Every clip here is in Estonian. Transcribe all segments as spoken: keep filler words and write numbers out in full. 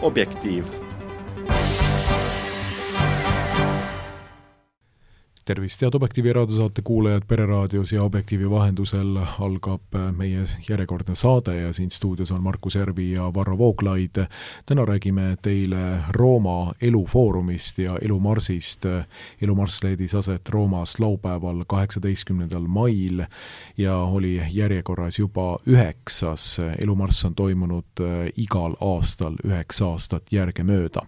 Objektiiv. Tervist, head Objektiivi raadiosaate kuulajad Pereraadios ja Objektiivi vahendusel algab meie järjekordne saade ja siin stuudios on Markus Järvi ja Varro Vooglaid. Täna räägime teile Rooma elufoorumist ja elumarsist. Elumarss leidis aset Roomas laupäeval kaheksateistkümnendal mail ja oli järjekorras juba üheksas. Elumarss on toimunud igal aastal üheksa aastat järgemööda.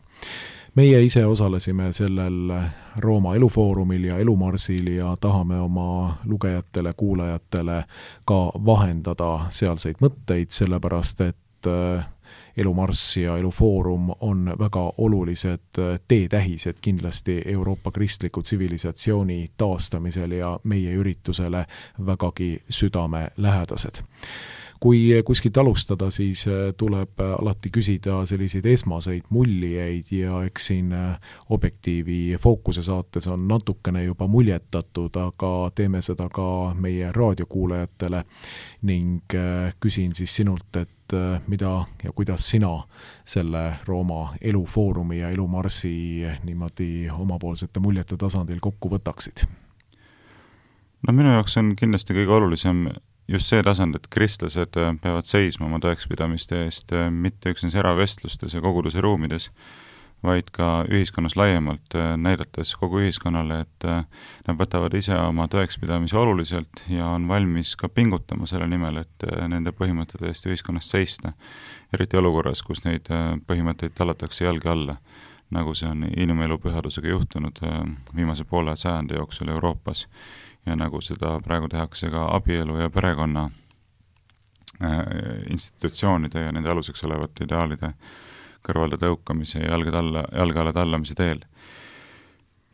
Meie ise osalesime sellel Rooma elufoorumil ja elumarsil ja tahame oma lugejatele, kuulajatele ka vahendada sealseid mõtteid, sellepärast et elumarss ja elufoorum on väga olulised teetähised kindlasti Euroopa kristliku tsivilisatsiooni taastamisel ja meie üritusele vägagi südamelähedased. Kui kuskilt alustada, siis tuleb alati küsida selliseid esmaseid muljeid ja eks siin Objektiivi fookuse saates on natukene juba muljetatud, aga teeme seda ka meie raadiokuulajatele ning küsin siis sinult, et mida ja kuidas sina selle Rooma elufoorumi ja elumarsi niimoodi omapoolsete muljete tasandil kokku võtaksid? No minu jaoks on kindlasti kõige olulisem just see tasand, et kristlased peavad seisma oma tõekspidamiste eest mitte üksnes eravestlustes ja koguduse ruumides, vaid ka ühiskonnas laiemalt, näidates kogu ühiskonnale, et nad võtavad ise oma tõekspidamisi oluliselt ja on valmis ka pingutama selle nimel, et nende põhimõtete eest ühiskonnas seista, eriti olukorras, kus neid põhimõtteid tallatakse jalge alla, nagu see on inimelu pühadusega juhtunud viimase poole sajandi jooksul Euroopas. Ja nagu seda praegu tehakse ka abielu ja perekonna institutsioonide ja nende aluseks olevate ideaalide kõrvalde tõukamise ja jalge talla, jalge alla tallamise teel.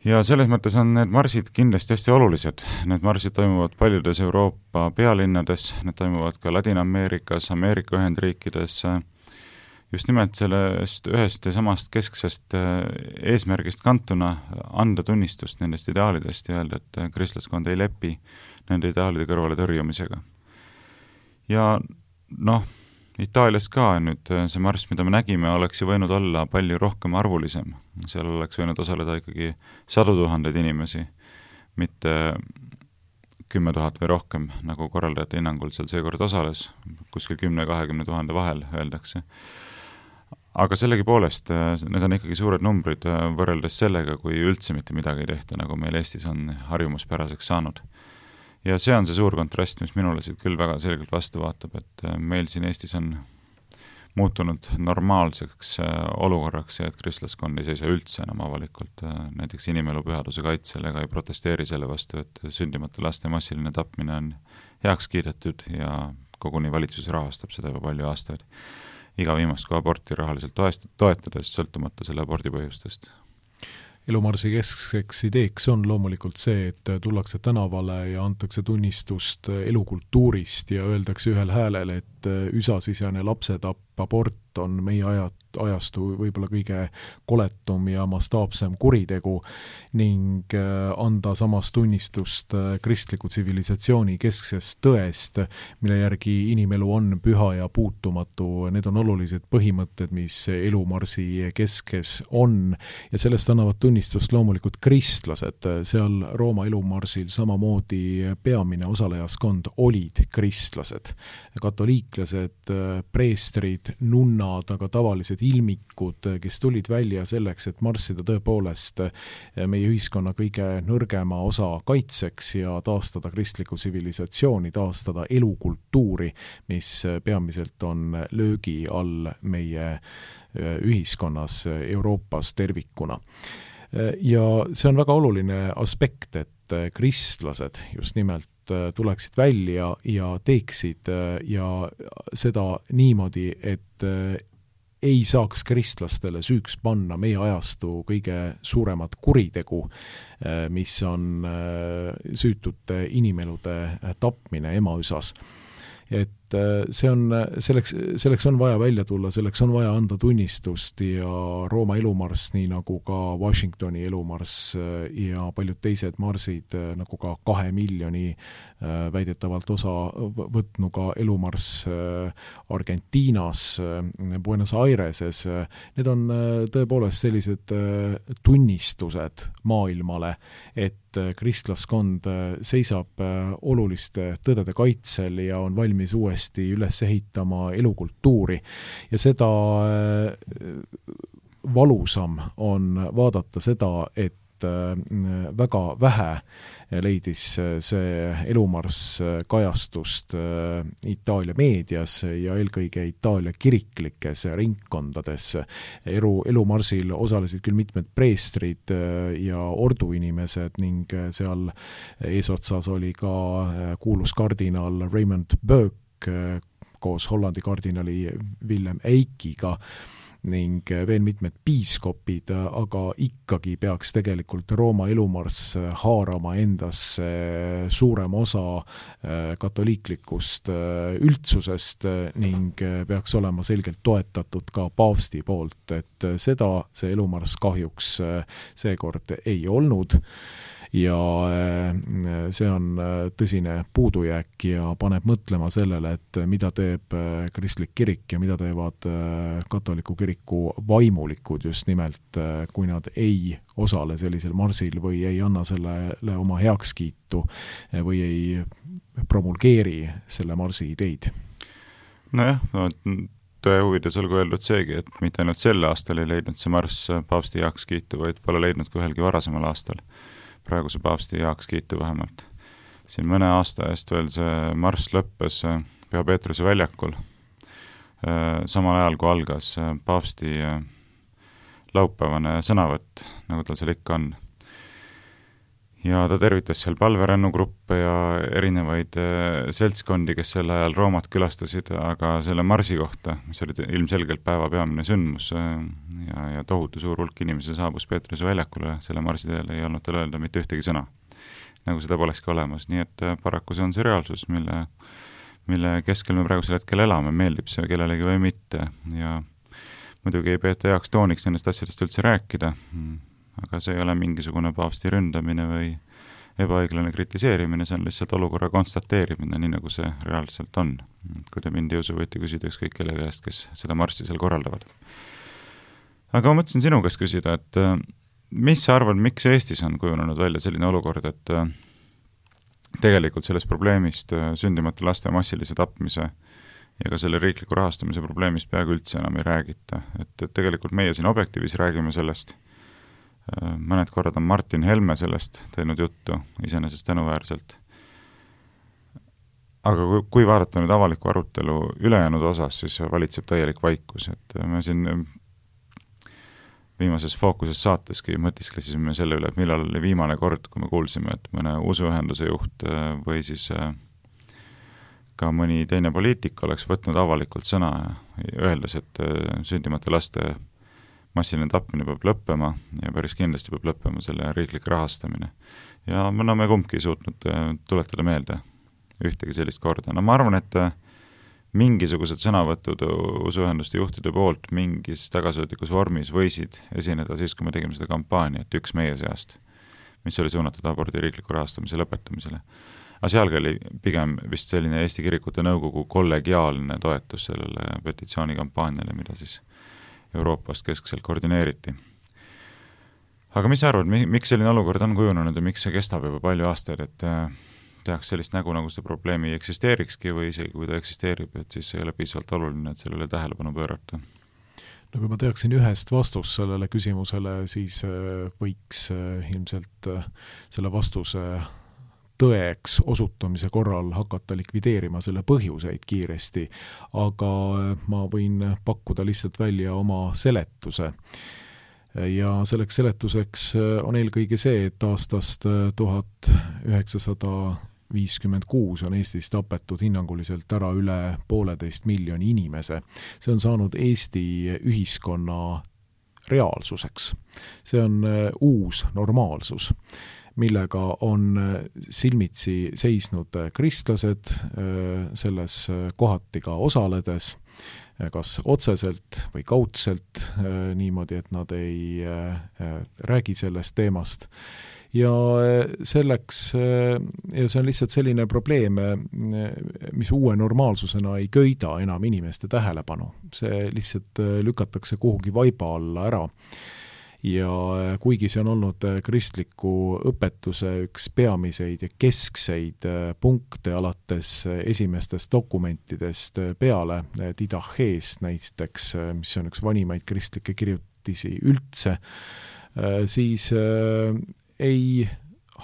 Ja selles mõttes on need marsid kindlasti hästi olulised. Need marsid toimuvad paljudes Euroopa pealinnades, need toimuvad ka Ladina-Ameerikas, Ameerika Ühendriikides, just nimelt sellest ühest ja samast kesksest eesmärgist kantuna anda tunnistust nendest ideaalidest ja öelda, et kristlaskond ei lepi nende ideaalide kõrvale tõrjumisega. Ja noh, Itaalias ka nüüd see marss, mida me nägime, oleks ju võinud olla palju rohkem arvulisem. Seal oleks võinud osaleda ikkagi sadu tuhandeid inimesi, mitte kümme tuhat või rohkem, nagu korraldajate hinnangul seal seekord osales, kuskil kümne kahekümne tuhande vahel öeldakse. Aga sellegi poolest, need on ikkagi suured numbrid võrreldes sellega, kui üldse mitte midagi ei tehta, nagu meil Eestis on harjumuspäraseks saanud. Ja see on see suur kontrast, mis minule siit küll väga selgelt vastu vaatab, et meil siin Eestis on muutunud normaalseks olukorraks ja et kristlaskond ei seisa üldse enam avalikult näiteks inimelu pühaduse kaitsel ega ei protesteeri selle vastu, et sündimata laste massiline tapmine on heaks kiidetud ja koguni valitsus rahastab seda juba palju aastaid. Iga viimast kui aborti rahaliselt toetades, sõltumata selle abordi põhjustest. Elumarsi keskseks ideeks on loomulikult see, et tullakse tänavale ja antakse tunnistust elukultuurist ja öeldakse ühel häälel, et üsasisene lapsetapp, abort on meie ajat, ajastu võib-olla kõige koletum ja mastaapsem kuritegu ning anda samas tunnistust kristliku tsivilisatsiooni kesksest tõest, mille järgi inimelu on püha ja puutumatu. Need on olulised põhimõtted, mis elumarsi keskes on ja sellest annavad tunnistust loomulikult kristlased. Seal Rooma elumarsil samamoodi peamine osalejaskond olid kristlased, katoliiklased, preestrid, nunnad, aga tavalised ilmikud, kes tulid välja selleks, et marssida tõepoolest meie ühiskonna kõige nõrgema osa kaitseks ja taastada kristlikku tsivilisatsiooni, taastada elukultuuri, mis peamiselt on löögi all meie ühiskonnas Euroopas tervikuna. Ja see on väga oluline aspekt, et kristlased just nimelt tuleksid välja ja teeksid ja seda niimoodi, et ei saaks kristlastele süüks panna meie ajastu kõige suuremat kuritegu, mis on süütute inimelude tapmine emaüsas. Et et see on, selleks, selleks on vaja välja tulla, selleks on vaja anda tunnistust ja Rooma elumarss, nii nagu ka Washingtoni elumarss ja paljud teised marsid, nagu ka kahe miljoni väidetavalt osa võtnuga elumarss Argentiinas, Buenos Aireses, need on tõepoolest sellised tunnistused maailmale, et kristlaskond seisab oluliste tõdede kaitsel ja on valmis uuesti üles ehitama elukultuuri. Ja seda valusam on vaadata seda, et väga vähe leidis see elumarss kajastust Itaalia meedias ja eelkõige Itaalia kiriklikes ringkondades. Elu, elumarsil osalesid küll mitmed preestrid ja orduinimesed ning seal eesotsas oli ka kuulus kardinal Raymond Burke koos Hollandi kardinali Willem Eikiga ning veel mitmed piiskopid, aga ikkagi peaks tegelikult Rooma elumarss haarama endasse suurem osa katoliiklikust üldsusest ning peaks olema selgelt toetatud ka paavsti poolt, et seda see elumarss kahjuks seekord ei olnud. Ja see on tõsine puudujääk ja paneb mõtlema sellele, et mida teeb kristlik kirik ja mida teevad katoliku kiriku vaimulikud just nimelt, kui nad ei osale sellisel marsil või ei anna sellele oma heakskiitu või ei promulgeeri selle marsi ideid. Nojah, no, tõe huvides olgu öeldud seegi, et mitte ainult sel aastal ei leidnud see marss paavsti heakskiitu, vaid pole leidnud ka ühelgi varasemal aastal. Praeguse paavsti heakskiitu vähemalt. Siin mõne aasta eest veel see marss lõppes Püha Peetruse väljakul, samal ajal kui algas paavsti laupäevane sõnavõtt, nagu tal seal ikka on. Ja ta tervitas seal palverännugruppe ja erinevaid seltskondi, kes sel ajal Roomat külastasid, aga selle marsi kohta, mis oli ilmselgelt päeva peamine sündmus ja, ja tohutu suur hulk inimesi saabus Peetruse väljakule, selle marsi teel ei olnud tal öelda mitte ühtegi sõna, nagu seda polekski olemas. Nii et paraku see on see reaalsus, mille, mille keskel me praegusel hetkel elame, meeldib see kellelegi või mitte ja muidugi ei peeta heaks tooniks nendest asjadest üldse rääkida, aga see ei ole mingisugune paavsti ründamine või ebaõiglane kritiseerimine, see on lihtsalt olukorra konstateerimine, nii nagu see reaalselt on. Kui te mind ei usu, võite küsida ükskõik kelle käest, kes seda marssi seal korraldavad. Aga ma mõtlesin sinu käest küsida, et mis sa arvad, miks Eestis on kujunenud välja selline olukord, et tegelikult sellest probleemist sündimata laste massilise tapmise ja ka selle riikliku rahastamise probleemist peaaegu üldse enam ei räägita. Et tegelikult meie siin Objektiivis räägime sellest, mõned korrad on Martin Helme sellest teinud juttu, iseenesest tänuväärselt. Aga kui, kui vaadata nüüd avaliku arutelu ülejäänud osas, siis valitseb täielik vaikus, et me siin viimases Fookuses saateski mõtisklesime selle üle, et millal oli viimane kord, kui me kuulsime, et mõne usuühenduse juht või siis ka mõni teine poliitik oleks võtnud avalikult sõna ja öeldes, et sündimata laste massiline tapmine peab lõppema ja päris kindlasti peab lõppema selle riiklik rahastamine. Ja no, me kumbki ei suutnud tuletada meelde ühtegi sellist korda. No ma arvan, et mingisugused sõnavõtud usuühenduste juhtide poolt mingis tagasihoidlikus vormis võisid esineda siis, kui me tegime seda kampaaniat üks meie seast, mis oli suunatud abordi riikliku rahastamise lõpetamisele. Aga sealgi oli pigem vist selline Eesti Kirikute Nõukogu kollegiaalne toetus sellele petitsioonikampaaniale, mida siis Euroopast keskselt koordineeriti. Aga mis sa arvad, miks selline olukord on kujunenud ja miks see kestab juba palju aastaid, et tehakse sellist nägu, nagu seda probleemi ei eksisteerikski või isegi kui ta eksisteerib, et siis ei ole piisavalt oluline, et sellele tähelepanu pöörata? No kui ma teaksin ühest vastust sellele küsimusele, siis võiks ilmselt selle vastuse tõeks osutamise korral hakata likvideerima selle põhjuseid kiiresti, aga ma võin pakkuda lihtsalt välja oma seletuse. Ja selleks seletuseks on eelkõige see, et aastast tuhat üheksasada viiskümmend kuus on Eestis tapetud hinnanguliselt ära üle pooleteist miljoni inimese. See on saanud Eesti ühiskonna reaalsuseks. See on uus normaalsus. millega on silmitsi seisnud kristlased selles kohati ka osaledes, kas otseselt või kaudselt niimoodi, et nad ei räägi sellest teemast. Ja selleks, ja see on lihtsalt selline probleem, mis uue normaalsusena ei köida enam inimeste tähelepanu. See lihtsalt lükatakse kuhugi vaiba alla ära. Ja kuigi see on olnud kristliku õpetuse üks peamiseid ja keskseid punkte alates esimestest dokumentidest peale, Didacheest näiteks, mis on üks vanimaid kristlikke kirjutisi üldse, siis ei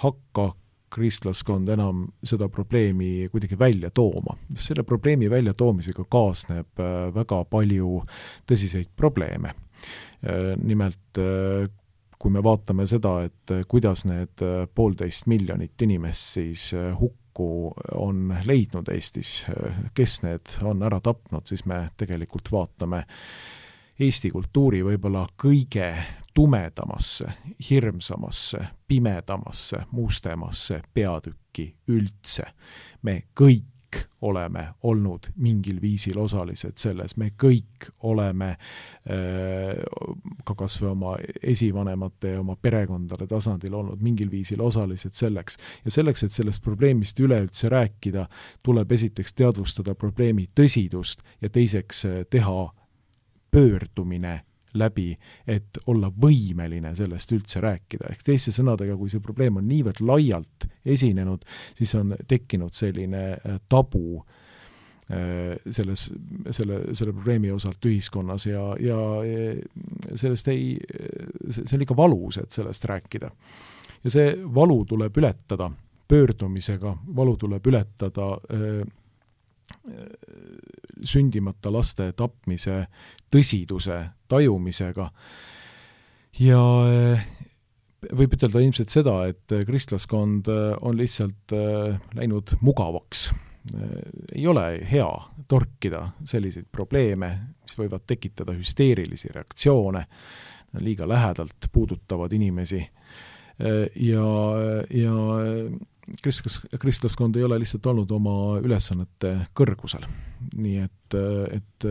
hakka kristlaskond enam seda probleemi kuidagi välja tooma. Selle probleemi välja toomisega kaasneb väga palju tõsiseid probleeme. Nimelt, kui me vaatame seda, et kuidas need poolteist miljonit inimest siis hukku on leidnud Eestis, kes need on ära tapnud, siis me tegelikult vaatame Eesti kultuuri võib-olla kõige tumedamasse, hirmsamasse, pimedamasse, mustemasse peatükki üldse. Me kõik oleme olnud mingil viisil osalised selles, me kõik oleme äh, ka kas või oma esivanemate ja oma perekondade tasandil olnud mingil viisil osalised selleks. Ja selleks, et sellest probleemist üleüldse rääkida, tuleb esiteks teadvustada probleemi tõsidust ja teiseks teha pöördumine läbi, et olla võimeline sellest üldse rääkida. Ehk teiste sõnadega, kui see probleem on niivõrd laialt esinenud, siis on tekkinud selline tabu selles, selle, selle probleemi osalt ühiskonnas ja, ja sellest ei, see on ikka valus, et sellest rääkida. Ja see valu tuleb ületada pöördumisega, valu tuleb ületada sündimata laste tapmise tõsiduse tajumisega. Ja võib ütelda ilmselt seda, et kristlaskond on lihtsalt läinud mugavaks. Ei ole hea torkida selliseid probleeme, mis võivad tekitada hüsteerilisi reaktsioone, liiga lähedalt puudutavad inimesi. Ja, ja kristlas, kristlaskond ei ole lihtsalt olnud oma ülesannete kõrgusel. Nii et, et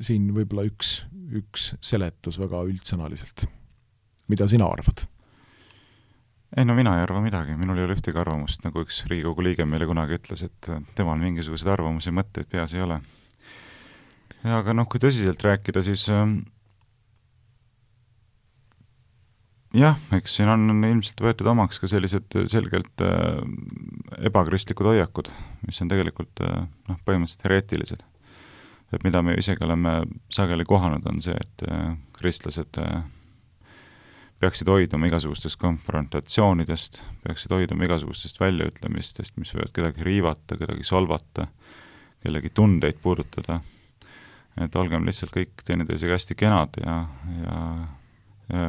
siin võib-olla üks, üks seletus väga üldsõnaliselt. Mida sina arvad? Ei, no mina ei arva midagi. Minul ei ole ühtegi arvamust, nagu üks Riigikogu liige meile kunagi ütles, et temal mingisugused arvamusi mõtteid peas ei ole. Ja, aga noh, kui tõsiselt rääkida, siis jah, eks siin on ilmselt võetud omaks ka sellised selgelt äh, ebakristlikud hoiakud, mis on tegelikult äh, noh, põhimõtteliselt hereetilised. Et mida me isegi oleme sageli kohanud, on see, et äh, kristlased äh, peaksid hoiduma igasugustest konfrontatsioonidest, peaksid hoiduma igasugustest väljaütlemistest, mis võivad kedagi riivata, kedagi solvata, kellegi tundeid puudutada. Et olgem lihtsalt kõik teineteisega hästi kenad ja, ja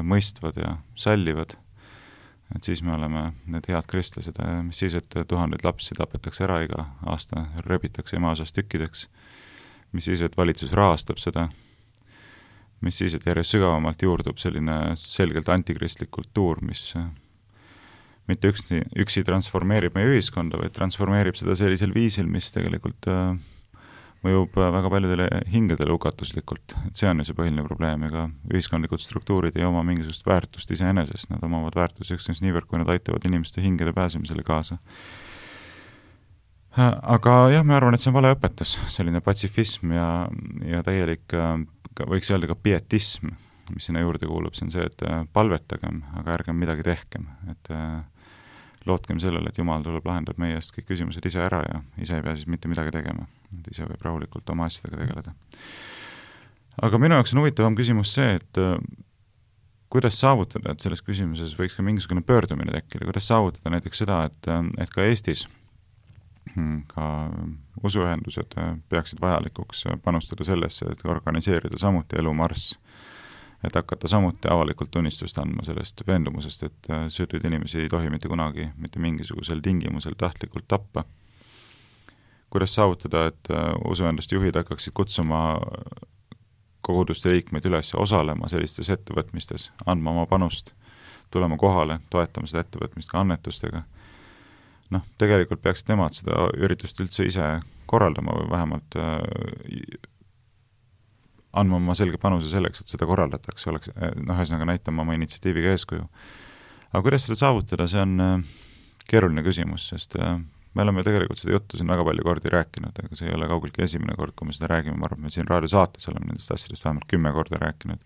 mõistvad ja sallivad, et siis me oleme need head kristlased, mis siis, et tuhandeid lapsi tapetakse ära iga aasta, rebitakse ema osas tükkideks, mis siis, et valitsus rahastab seda, mis siis, et järjest sügavamalt juurdub selline selgelt antikristlik kultuur, mis mitte üksi, üksi transformeerib meie ühiskonda, vaid transformeerib seda sellisel viisil, mis tegelikult mõjub väga paljudele hingedele hukatuslikult. Et see on ju see põhiline probleem, ega ühiskondlikud struktuurid ei oma mingisugust väärtust iseenesest, nad omavad väärtust üksnes niivõrd, kui nad aitavad inimeste hingele pääsemisele kaasa. Aga jah, ma arvan, et see on vale õpetus, selline patsifism ja, ja täielik, võiks öelda ka pietism, mis sinna juurde kuulub, see on see, et palvetagem, aga ärgem midagi tehkem, et lootkem sellele, et Jumal tuleb lahendab meie eest kõik küsimused ise ära ja ise ei pea siis mitte midagi tegema. Et ise võib rahulikult oma asjadega tegeleda. Aga minu jaoks on huvitavam küsimus see, et kuidas saavutada, et selles küsimuses võiks ka mingisugune pöördumine tekkida, kuidas saavutada näiteks seda, et, et ka Eestis ka usuühendused peaksid vajalikuks panustada sellesse, et organiseerida samuti elumarss, et hakata samuti avalikult tunnistust andma sellest veendumusest, et süütuid inimesi ei tohi mitte kunagi, mitte mingisugusel tingimusel tahtlikult tappa. Kuidas saavutada, et usuühenduste juhid hakkaksid kutsuma koguduste liikmeid üles osalema sellistes ettevõtmistes, andma oma panust, tulema kohale, toetama seda ettevõtmist ka annetustega. Noh, tegelikult peaksid nemad seda üritust üldse ise korraldama või vähemalt äh, andma oma selge panuse selleks, et seda korraldatakse, oleks, noh, ühesõnaga näitama oma initsiatiiviga eeskuju. Aga kuidas seda saavutada, see on äh, keeruline küsimus, sest äh, me oleme tegelikult seda juttu siin väga palju kordi rääkinud, aga see ei ole kaugeltki esimene kord, kui me seda räägime, ma arvan, me siin raadiosaates oleme nendest asjadest vähemalt kümme korda rääkinud.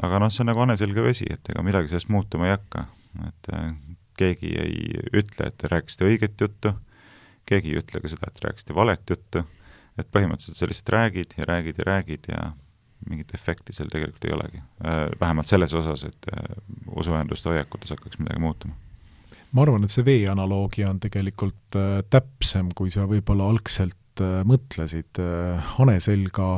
Aga noh, see on nagu aneselge vesi, et ega midagi sellest muutuma ei hakka, et äh, keegi ei ütle, et te rääkisite õiget juttu, keegi ei ütle ka seda, et rääkisite valet juttu, et põhimõtteliselt sa lihtsalt räägid ja räägid ja räägid ja mingit efekti seal tegelikult ei olegi. Vähemalt selles osas, et usuühenduste hoiakutes hakkaks midagi muutuma. Ma arvan, et see vee analoogia on tegelikult täpsem, kui sa võib-olla algselt mõtlesid. Hane selga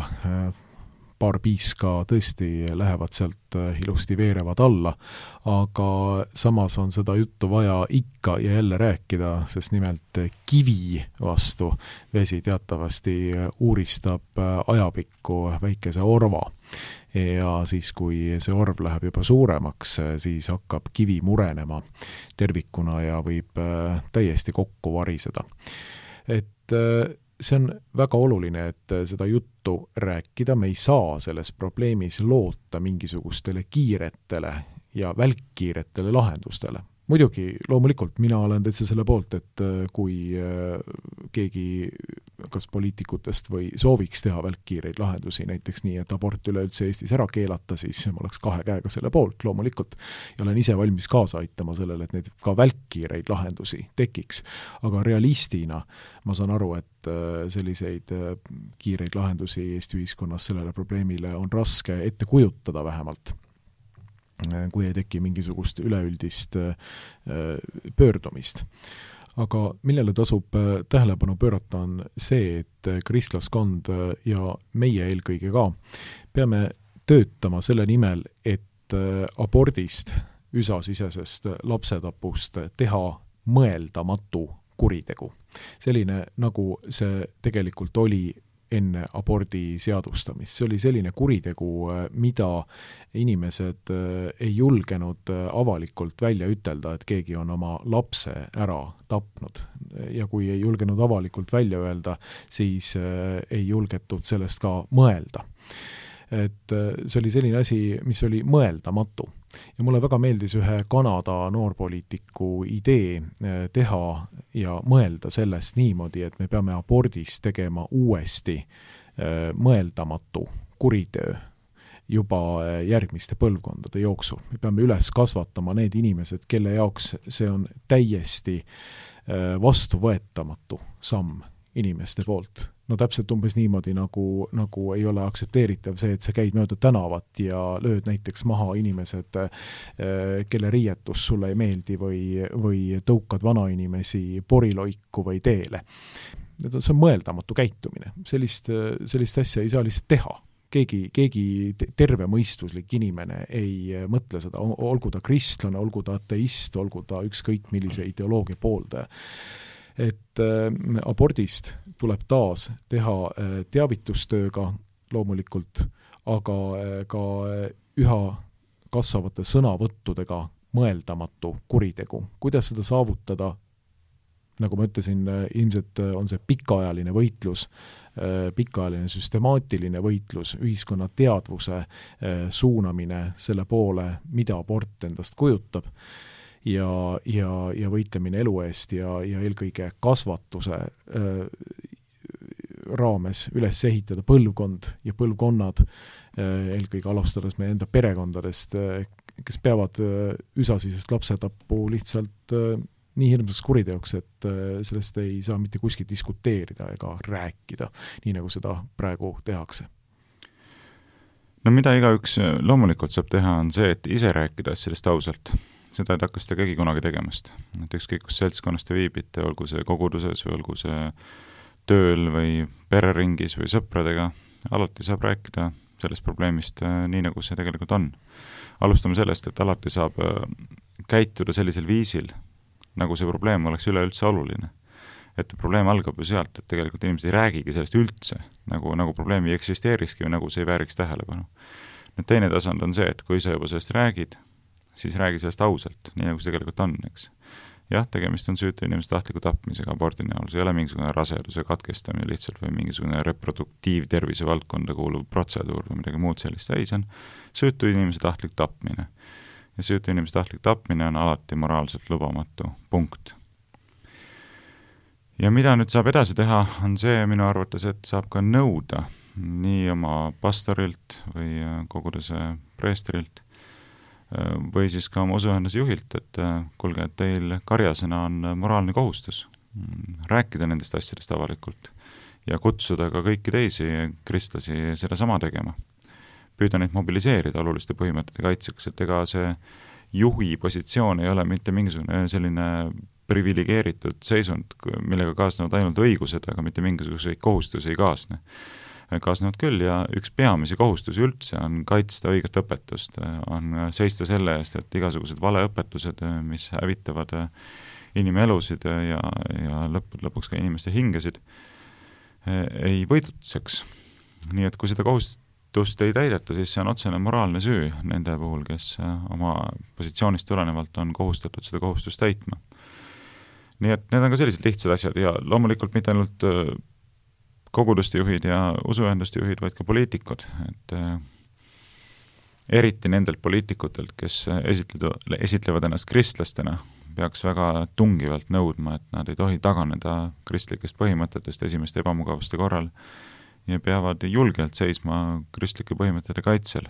paar piiska tõesti lähevad sealt ilusti veerevad alla, aga samas on seda juttu vaja ikka ja jälle rääkida, sest nimelt kivi vastu vesi teatavasti uuristab ajapikku väikese orva. Ja siis, kui see orv läheb juba suuremaks, siis hakkab kivi murenema tervikuna ja võib täiesti kokku variseda. Et see on väga oluline, et seda juttu rääkida, me ei saa selles probleemis loota mingisugustele kiiretele ja välkkiiretele lahendustele. Muidugi, loomulikult, mina olen täitsa selle poolt, et kui keegi kas poliitikutest või sooviks teha välkkiireid lahendusi, näiteks nii, et abort üleüldse Eestis ära keelata, siis ma oleks kahe käega selle poolt, loomulikult. Ja olen ise valmis kaasa aitama sellele, et neid ka välkkiireid lahendusi tekiks. Aga realistina ma saan aru, et selliseid kiireid lahendusi Eesti ühiskonnas sellele probleemile on raske ette kujutada vähemalt, kui ei teki mingisugust üleüldist pöördumist. Aga millele tasub tähelepanu pöörata on see, et kristlaskond ja meie eelkõige ka peame töötama selle nimel, et abordist, üsasisesest lapsetapust teha mõeldamatu kuritegu. Selline, nagu see tegelikult oli enne abordi seadustamist. See oli selline kuritegu, mida inimesed ei julgenud avalikult välja ütelda, et keegi on oma lapse ära tapnud. Ja kui ei julgenud avalikult välja öelda, siis ei julgetud sellest ka mõelda. Et see oli selline asi, mis oli mõeldamatu. Ja mulle väga meeldis ühe Kanada noorpoliitiku idee teha ja mõelda sellest niimoodi, et me peame abordist tegema uuesti mõeldamatu kuritöö juba järgmiste põlvkondade jooksul. Me peame üles kasvatama need inimesed, kelle jaoks see on täiesti vastuvõetamatu samm inimeste poolt. No täpselt umbes niimoodi, nagu, nagu ei ole aksepteeritav see, et sa käid mööda tänavat ja lööd näiteks maha inimesed, kelle riietus sulle ei meeldi või, või tõukad vanainimesi poriloiku või teele. See on mõeldamatu käitumine. Sellist, sellist asja ei saa lihtsalt teha. Keegi, keegi terve mõistuslik inimene ei mõtle seda, olgu ta kristlane, olgu ta ateist, olgu ta ükskõik millise ideoloogia pooldaja. Et äh, abordist tuleb taas teha äh, teavitustööga loomulikult, aga äh, ka äh, üha kasvavate sõnavõttudega mõeldamatu kuritegu. Kuidas seda saavutada? Nagu ma ütlesin, äh, ilmselt on see pikaajaline võitlus, äh, pikaajaline süstemaatiline võitlus, ühiskonna teadvuse äh, suunamine selle poole, mida abort endast kujutab. Ja, ja, ja võitlemine elu eest ja, ja eelkõige kasvatuse äh, raames üles ehitada põlvkond ja põlvkonnad, äh, eelkõige alustades meie enda perekondadest, äh, kes peavad äh, üsasisest lapsetappu lihtsalt äh, nii hirmsaks kuriteoks, et äh, sellest ei saa mitte kuskil diskuteerida ega rääkida, nii nagu seda praegu tehakse. No mida igaüks loomulikult saab teha, on see, et ise rääkida sellest ausalt. Seda ei hakka seda keegi kunagi tegemast. Et ükskõik, kus seltskonnast te viibite, olgu see koguduses või olgu see tööl või pereringis või sõpradega, alati saab rääkida sellest probleemist nii, nagu see tegelikult on. Alustame sellest, et alati saab käituda sellisel viisil, nagu see probleem oleks üleüldse oluline. Et probleem algab ju sealt, et tegelikult inimesed ei räägigi sellest üldse, nagu, nagu probleemi ei eksisteerikski või nagu see ei vääriks tähelepanu. Nüüd teine tasand on see, et kui sa juba sellest räägid, siis räägi sellest ausalt, nii nagu see tegelikult on, eks. Jah, tegemist on süütu inimese tahtliku tapmisega abordi näol, see ei ole mingisugune raseduse katkestamine lihtsalt või mingisugune reproduktiivtervise valdkonda kuuluv protseduur või midagi muud sellist, ei, see on süütu inimese tahtlik tapmine. Ja süütu inimese tahtlik tapmine on alati moraalselt lubamatu punkt. Ja mida nüüd saab edasi teha, on see minu arvates, et saab ka nõuda nii oma pastorilt või koguduse preestrilt või siis ka oma usuühenduse juhilt, et kuulge, et teil karjasena on moraalne kohustus rääkida nendest asjadest avalikult ja kutsuda ka kõiki teisi kristlasi seda sama tegema. Püüda neid mobiliseerida oluliste põhimõtete kaitseks, et ega see juhi positsioon ei ole mitte mingisugune selline privilegeeritud seisund, millega kaasnevad ainult õigused, aga mitte mingisuguseid kohustusi ei kaasne. Kaasnevad küll ja üks peamisi kohustusi üldse on kaitsta õiget õpetust, on seista selle eest, et igasugused valeõpetused, mis hävitavad inimelusid ja, ja lõpp, lõpuks ka inimeste hingesid, ei võidutseks. Nii et kui seda kohustust ei täideta, siis see on otsene moraalne süü nende puhul, kes oma positsioonist tulenevalt on kohustatud seda kohustust täitma. Nii et need on ka sellised lihtsad asjad ja loomulikult mitte ainult koguduste juhid ja usuühenduste juhid, vaid ka poliitikud, et äh, eriti nendelt poliitikutelt, kes esitlevad, esitlevad ennast kristlastena, peaks väga tungivalt nõudma, et nad ei tohi taganeda kristlikest põhimõtetest esimeste ebamugavuste korral ja peavad julgelt seisma kristlike põhimõtete kaitsel.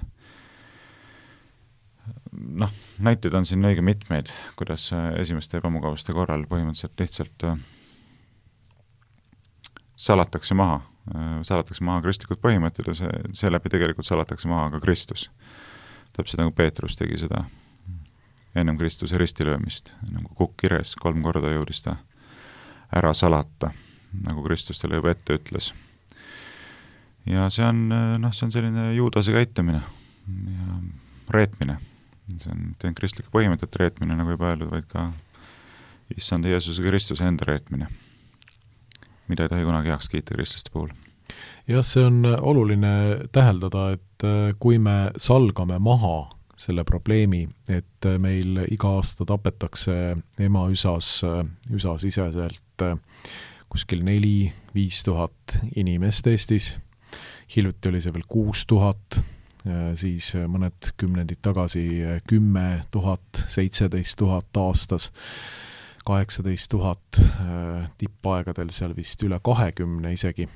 Noh, näiteid on siin õige mitmeid, kuidas esimeste ebamugavuste korral põhimõtteliselt lihtsalt äh, salatakse maha, salatakse maha kristlikud põhimõtted ja see, seeläbi tegelikult salatakse maha ka Kristus. Täpselt nagu Peetrus tegi seda ennem Kristuse ristilöömist, nagu kukk kires, kolm korda jõudis ta ära salata, nagu Kristus talle juba ette ütles. Ja see on, noh, see on selline juudase käitumine ja reetmine. See on teen kristlike põhimõtete reetmine, nagu juba öeldud, vaid ka issanda Jeesuse Kristuse enda reetmine, mida ei tohi kunagi heaks kiita kristlaste puhul. Jah, see on oluline täheldada, et kui me salgame maha selle probleemi, et meil iga aasta tapetakse ema üsas, üsasiseselt kuskil neli, viis tuhat inimest Eestis, hiljuti oli see veel kuus tuhat, siis mõned kümnendid tagasi kümme tuhat, seitseteist tuhat aastas, kaheksateist tuhat, tippaegadel seal vist üle kahekümne isegi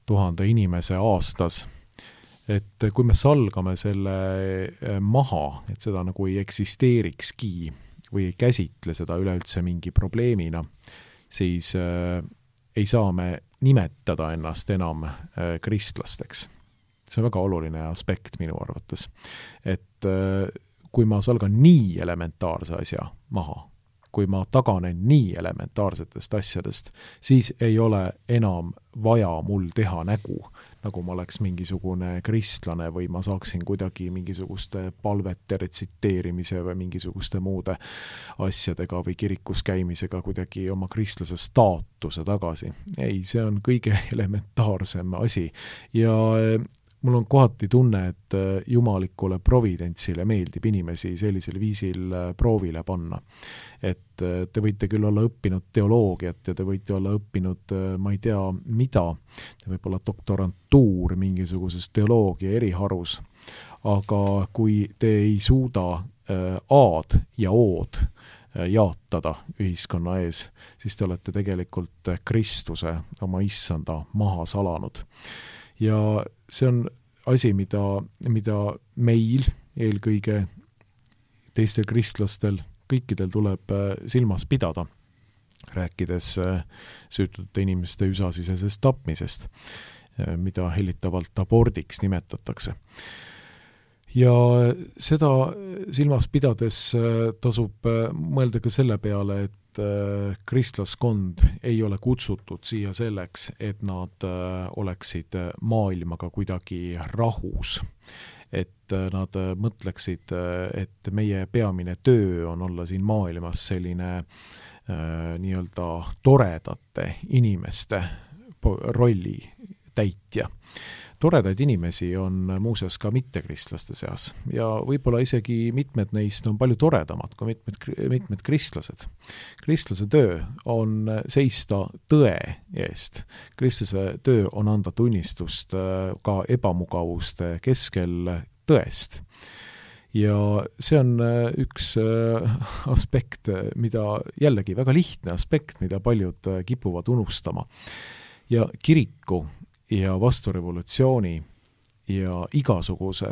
tuhande inimese aastas. Et kui me salgame selle maha, et seda nagu ei eksisteerikski või ei käsitle seda üleüldse mingi probleemina, siis äh, ei saa me nimetada ennast enam äh, kristlasteks. See on väga oluline aspekt minu arvates. Et äh, kui ma salgan nii elementaarse asja maha, kui ma taganen nii elementaarsetest asjadest, siis ei ole enam vaja mul teha nägu, nagu ma oleks mingisugune kristlane või ma saaksin kuidagi mingisuguste palvete retsiteerimise või mingisuguste muude asjadega või kirikus käimisega kuidagi oma kristlase staatuse tagasi. Ei, see on kõige elementaarsem asi ja mul on kohati tunne, et jumalikule providentsile meeldib inimesi sellisel viisil proovile panna. Et te võite küll olla õppinud teoloogiat ja te võite olla õppinud, ma ei tea mida, te võib olla doktorantuur mingisuguses teoloogia eriharus, aga kui te ei suuda A-d ja O-d jaatada ühiskonna ees, siis te olete tegelikult Kristuse oma issanda maha salanud. Ja see on asi, mida, mida meil eelkõige teistel kristlastel, kõikidel tuleb silmas pidada, rääkides süütute inimeste üsasisesest tapmisest, mida hellitavalt abordiks nimetatakse. Ja seda silmas pidades tasub mõelda ka selle peale, et kristlaskond ei ole kutsutud siia selleks, et nad oleksid maailmaga kuidagi rahus, et nad mõtleksid, et meie peamine töö on olla siin maailmas selline nii-öelda toredate inimeste rolli täitja. toredaid inimesi on muuseas ka mittekristlaste seas ja võib-olla isegi mitmed neist on palju toredamad kui mitmed, mitmed kristlased. Kristlase töö on seista tõe eest. Kristlase töö on anda tunnistust ka ebamugavuste keskel tõest. Ja see on üks aspekt, mida jällegi väga lihtne aspekt, mida paljud kipuvad unustama. Ja kiriku ja vasturevolutsiooni ja igasuguse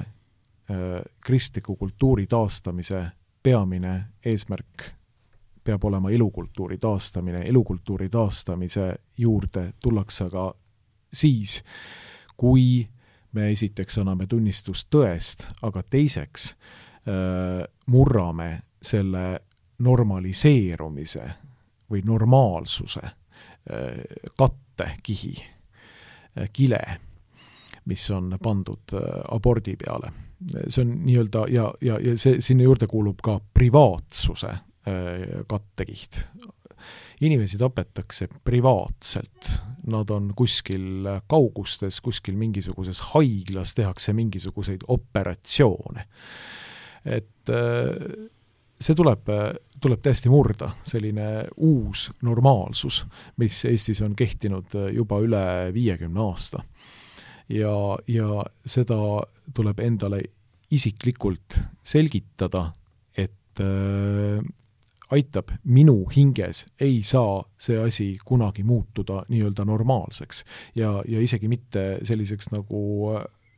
kristliku kultuuri taastamise peamine eesmärk peab olema elukultuuri taastamine. Elukultuuri taastamise juurde tullakse aga siis, kui me esiteks anname tunnistust tõest, aga teiseks äh, murrame selle normaliseerumise või normaalsuse äh, kattekihi, äh, kile, mis on pandud äh, abordi peale. See on nii-öelda, ja, ja, ja see, sinna juurde kuulub ka privaatsuse äh, kattekiht. Inimesi tapetakse privaatselt. Nad on kuskil kaugustes, kuskil mingisuguses haiglas tehakse mingisuguseid operatsioone. Et see tuleb, tuleb täiesti murda, selline uus normaalsus, mis Eestis on kehtinud juba üle viiekümne aasta. Ja, ja seda tuleb endale isiklikult selgitada, et aitab minu hinges, ei saa see asi kunagi muutuda nii-öelda normaalseks ja, ja isegi mitte selliseks nagu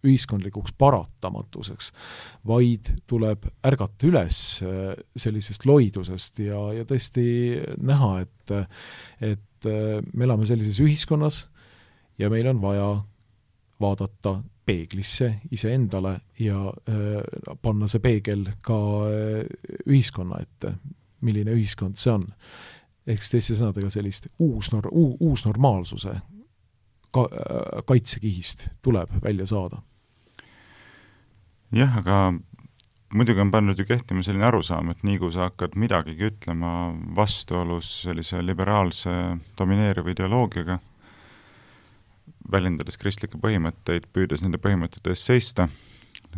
ühiskondlikuks paratamatuseks, vaid tuleb ärgata üles sellisest loidusest ja, ja tõesti näha, et, et me elame sellises ühiskonnas ja meil on vaja vaadata peeglisse iseendale ja äh, panna see peegel ka ühiskonna ette, milline ühiskond see on. Ehk teiste sõnadega sellist uus, nor- uus normaalsuse ka- kaitsekihist tuleb välja saada. Jah, aga muidugi on pannud ju kehtima selline arusaam, et nii kui sa hakkad midagigi ütlema vastuolus sellise liberaalse domineeriva ideoloogiaga, väljendades kristlikke põhimõtteid, püüdes nende põhimõtete eest seista,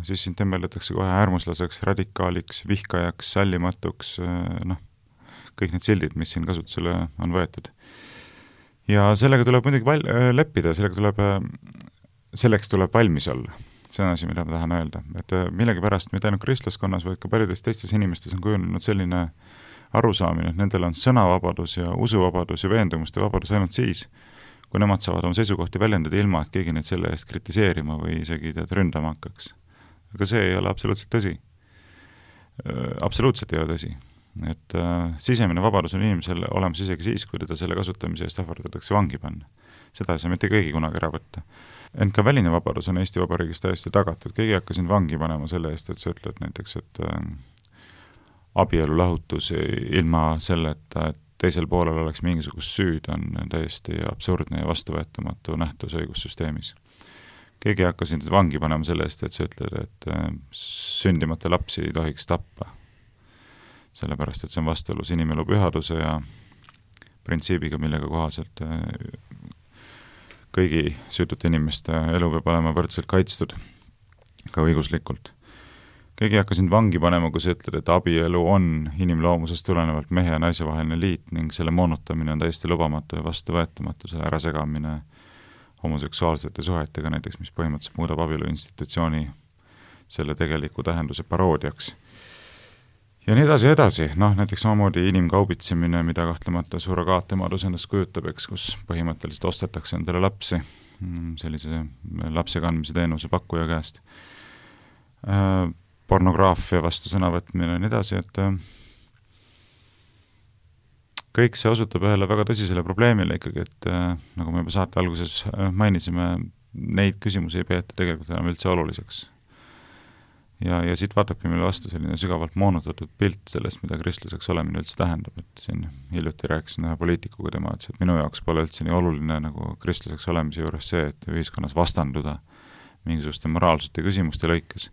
siis sind temmeldatakse kohe äärmuslaseks, radikaaliks, vihkajaks, sallimatuks, noh, kõik need sildid, mis siin kasutusele on võetud. Ja sellega tuleb muidugi val- leppida, sellega tuleb, selleks tuleb valmis olla. See on asi, mida ma tahan öelda. Et millegi pärast mitte ainult kristlaskonnas, vaid ka paljudes teistes inimestes on kujunenud selline arusaamine, et nendel on sõnavabadus ja usuvabadus ja veendumuste vabadus ainult siis, kui nemad saavad oma seisukohti väljendada ilma, et keegi neid selle eest kritiseerima või isegi tead ründama hakkaks. Aga see ei ole absoluutselt tõsi. Absoluutselt ei ole tõsi. Et äh, sisemine vabadus on inimesel olemas isegi siis, kui teda selle kasutamise eest ähvardatakse vangi panna. Seda ei saa mitte keegi kunagi ära võtta. Ent ka väline vabadus on Eesti Vabariigis täiesti tagatud. Keegi hakka sind vangi panema selle eest, et sa ütled näiteks, et äh, abielu lahutus ilma selleta, et teisel poolel oleks mingisugust süüd, on täiesti absurdne ja vastuvõetamatu nähtus õigussüsteemis. Keegi hakka sind vangi panema selle eest, et sa ütled, et sündimata lapsi ei tohiks tappa. Sellepärast, et see on vastuolus inimelu pühaduse ja printsiibiga, millega kohaselt kõigi süütute inimeste elu peab olema võrdselt kaitstud, ka õiguslikult. Keegi hakka sind vangi panema, kui sa ütled, et abielu on inimloomusest tulenevalt mehe ja naise vaheline liit ning selle moonutamine on täiesti lubamatu ja vastuvõetamatu, selle ärasegamine homoseksuaalsete suhetega näiteks, mis põhimõtteliselt muudab abielu institutsiooni selle tegeliku tähenduse paroodiaks. Ja nii edasi edasi, noh näiteks samamoodi inimkaubitsemine, mida kahtlemata surrogaatemadus endast kujutab, eks, kus põhimõtteliselt ostetakse endale lapsi sellise lapse kandmise teenuse pakkuja käest. Pornograafia vastu sõnavõtmine ja nii edasi, et kõik see osutab ühele väga tõsisele probleemile ikkagi, et nagu me juba saate alguses mainisime, neid küsimusi ei peeta tegelikult enam üldse oluliseks. Ja, ja siit vaatabki meile vastu selline sügavalt moonutatud pilt sellest, mida kristlaseks olemine üldse tähendab, et siin hiljuti rääkisin ühe poliitikuga tema, et minu jaoks pole üldse nii oluline nagu kristlaseks olemise juures see, et ühiskonnas vastanduda mingisuguste moraalsete küsimuste lõikes,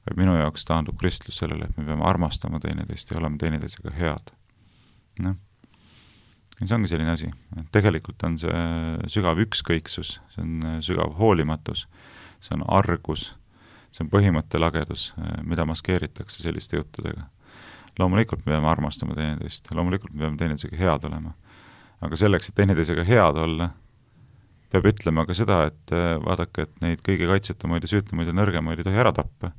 vaid minu jaoks taandub kristlus sellele, et me peame armastama teineteist ja olema teineteisega head. Noh. Ja see ongi selline asi. Tegelikult on see sügav ükskõiksus, see on sügav hoolimatus, see on argus, see on põhimõttelagedus, mida maskeeritakse selliste juttudega. Loomulikult me peame armastama teineteist, loomulikult me peame teineteisega head olema. Aga selleks, et teineteisega head olla, peab ütlema ka seda, et vaadake, et neid kõige kaitsetumaid ja süütamaid ja nõrgemaid ei tohi ära tappa.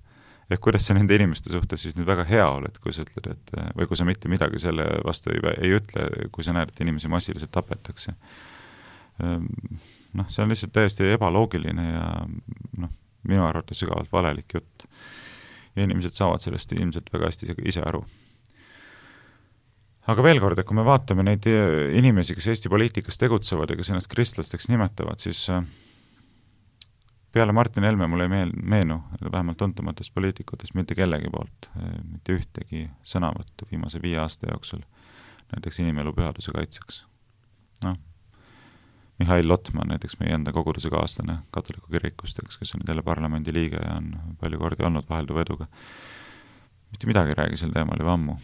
Ehk kuidas sa nende inimeste suhtes siis nüüd väga hea oled, kui sa ütled, et, või kui sa mitte midagi selle vastu ei, ei ütle, kui sa näed, et inimesi massiliselt tapetakse. Noh, see on lihtsalt täiesti ebaloogiline ja noh, minu arvates sügavalt valelik jutt. Ja inimesed saavad sellest ilmselt väga hästi ise aru. Aga veel kord, et kui me vaatame neid inimesi, kes Eesti poliitikas tegutsevad ja kes ennast kristlasteks nimetavad, siis peale Martin Helme mul ei meel, meenu, vähemalt tuntumatest poliitikutest, mitte kellegi poolt, mitte ühtegi sõnavõttu viimase viie aasta jooksul, näiteks inimelu pühaduse kaitseks. Noh, Mihhail Lotman, näiteks meie enda koguduse kaaslane katoliku kirikust, kes on jälle parlamendi liige ja on palju kordi olnud vahelduva eduga. Mitte midagi räägi sel teemal juba ammu,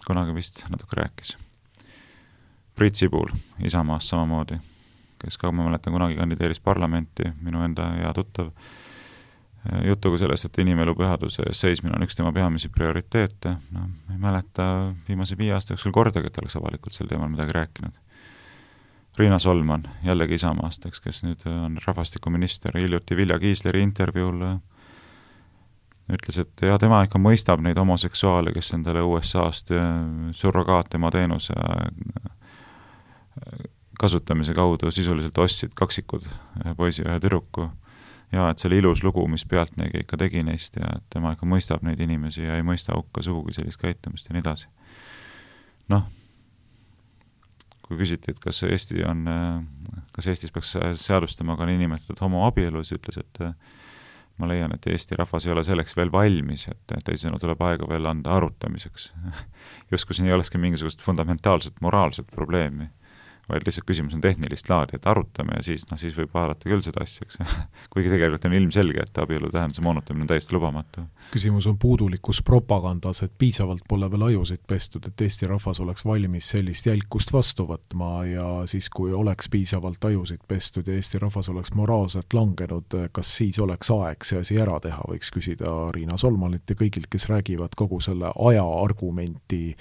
kunagi vist natuke rääkis. Priit Sibul, Isamaast samamoodi, kes ka, ma mäletan, kunagi kandideeris parlamenti, minu enda hea tuttav, jutuga sellest, et inimelu pühaduse seismine on üks tema peamisi prioriteete. No, ei mäleta viimase viie aasta jooksul kordagi, et oleks avalikult sel teemal midagi rääkinud. Riina Solman, jällegi Isamaast, kes nüüd on rahvastikuminister, hiljuti Vilja Kiisleri intervjuul ütles, et ja tema ikka mõistab neid homoseksuaale, kes endale U S A-st surrogaatema teenuse kasutamise kaudu sisuliselt ostsid kaksikud, ühe poisi ja ühe tüdruku, ja et see oli ilus lugu, mis pealtnägi ikka tegi neist ja et tema ikka mõistab neid inimesi ja ei mõista hukka sugugi sellist käitumist ja nii edasi. Noh, kui küsiti, et kas Eesti on, kas Eestis peaks seadustama ka niinimetatud homoabielus, ütles, et ma leian, et Eesti rahvas ei ole selleks veel valmis, et teisena tuleb aega veel anda arutamiseks. Justkui siin ei olekski mingisugust fundamentaalset moraalset probleemi, vaid lihtsalt küsimus on tehnilist laadi, et arutame ja siis, no siis võib vaadata küll seda asja, eks. Kuigi tegelikult on ilmselge, et abielu tähenduse moonutamine on täiesti lubamatu. Küsimus on puudulikus propagandas, et piisavalt pole veel ajusid pestud, et Eesti rahvas oleks valmis sellist jälkust vastu võtma ja siis, kui oleks piisavalt ajusid pestud ja Eesti rahvas oleks moraalselt langenud, kas siis oleks aeg see asi ära teha, võiks küsida Riina Solmanit ja kõigilt, kes räägivad kogu selle aja argumenti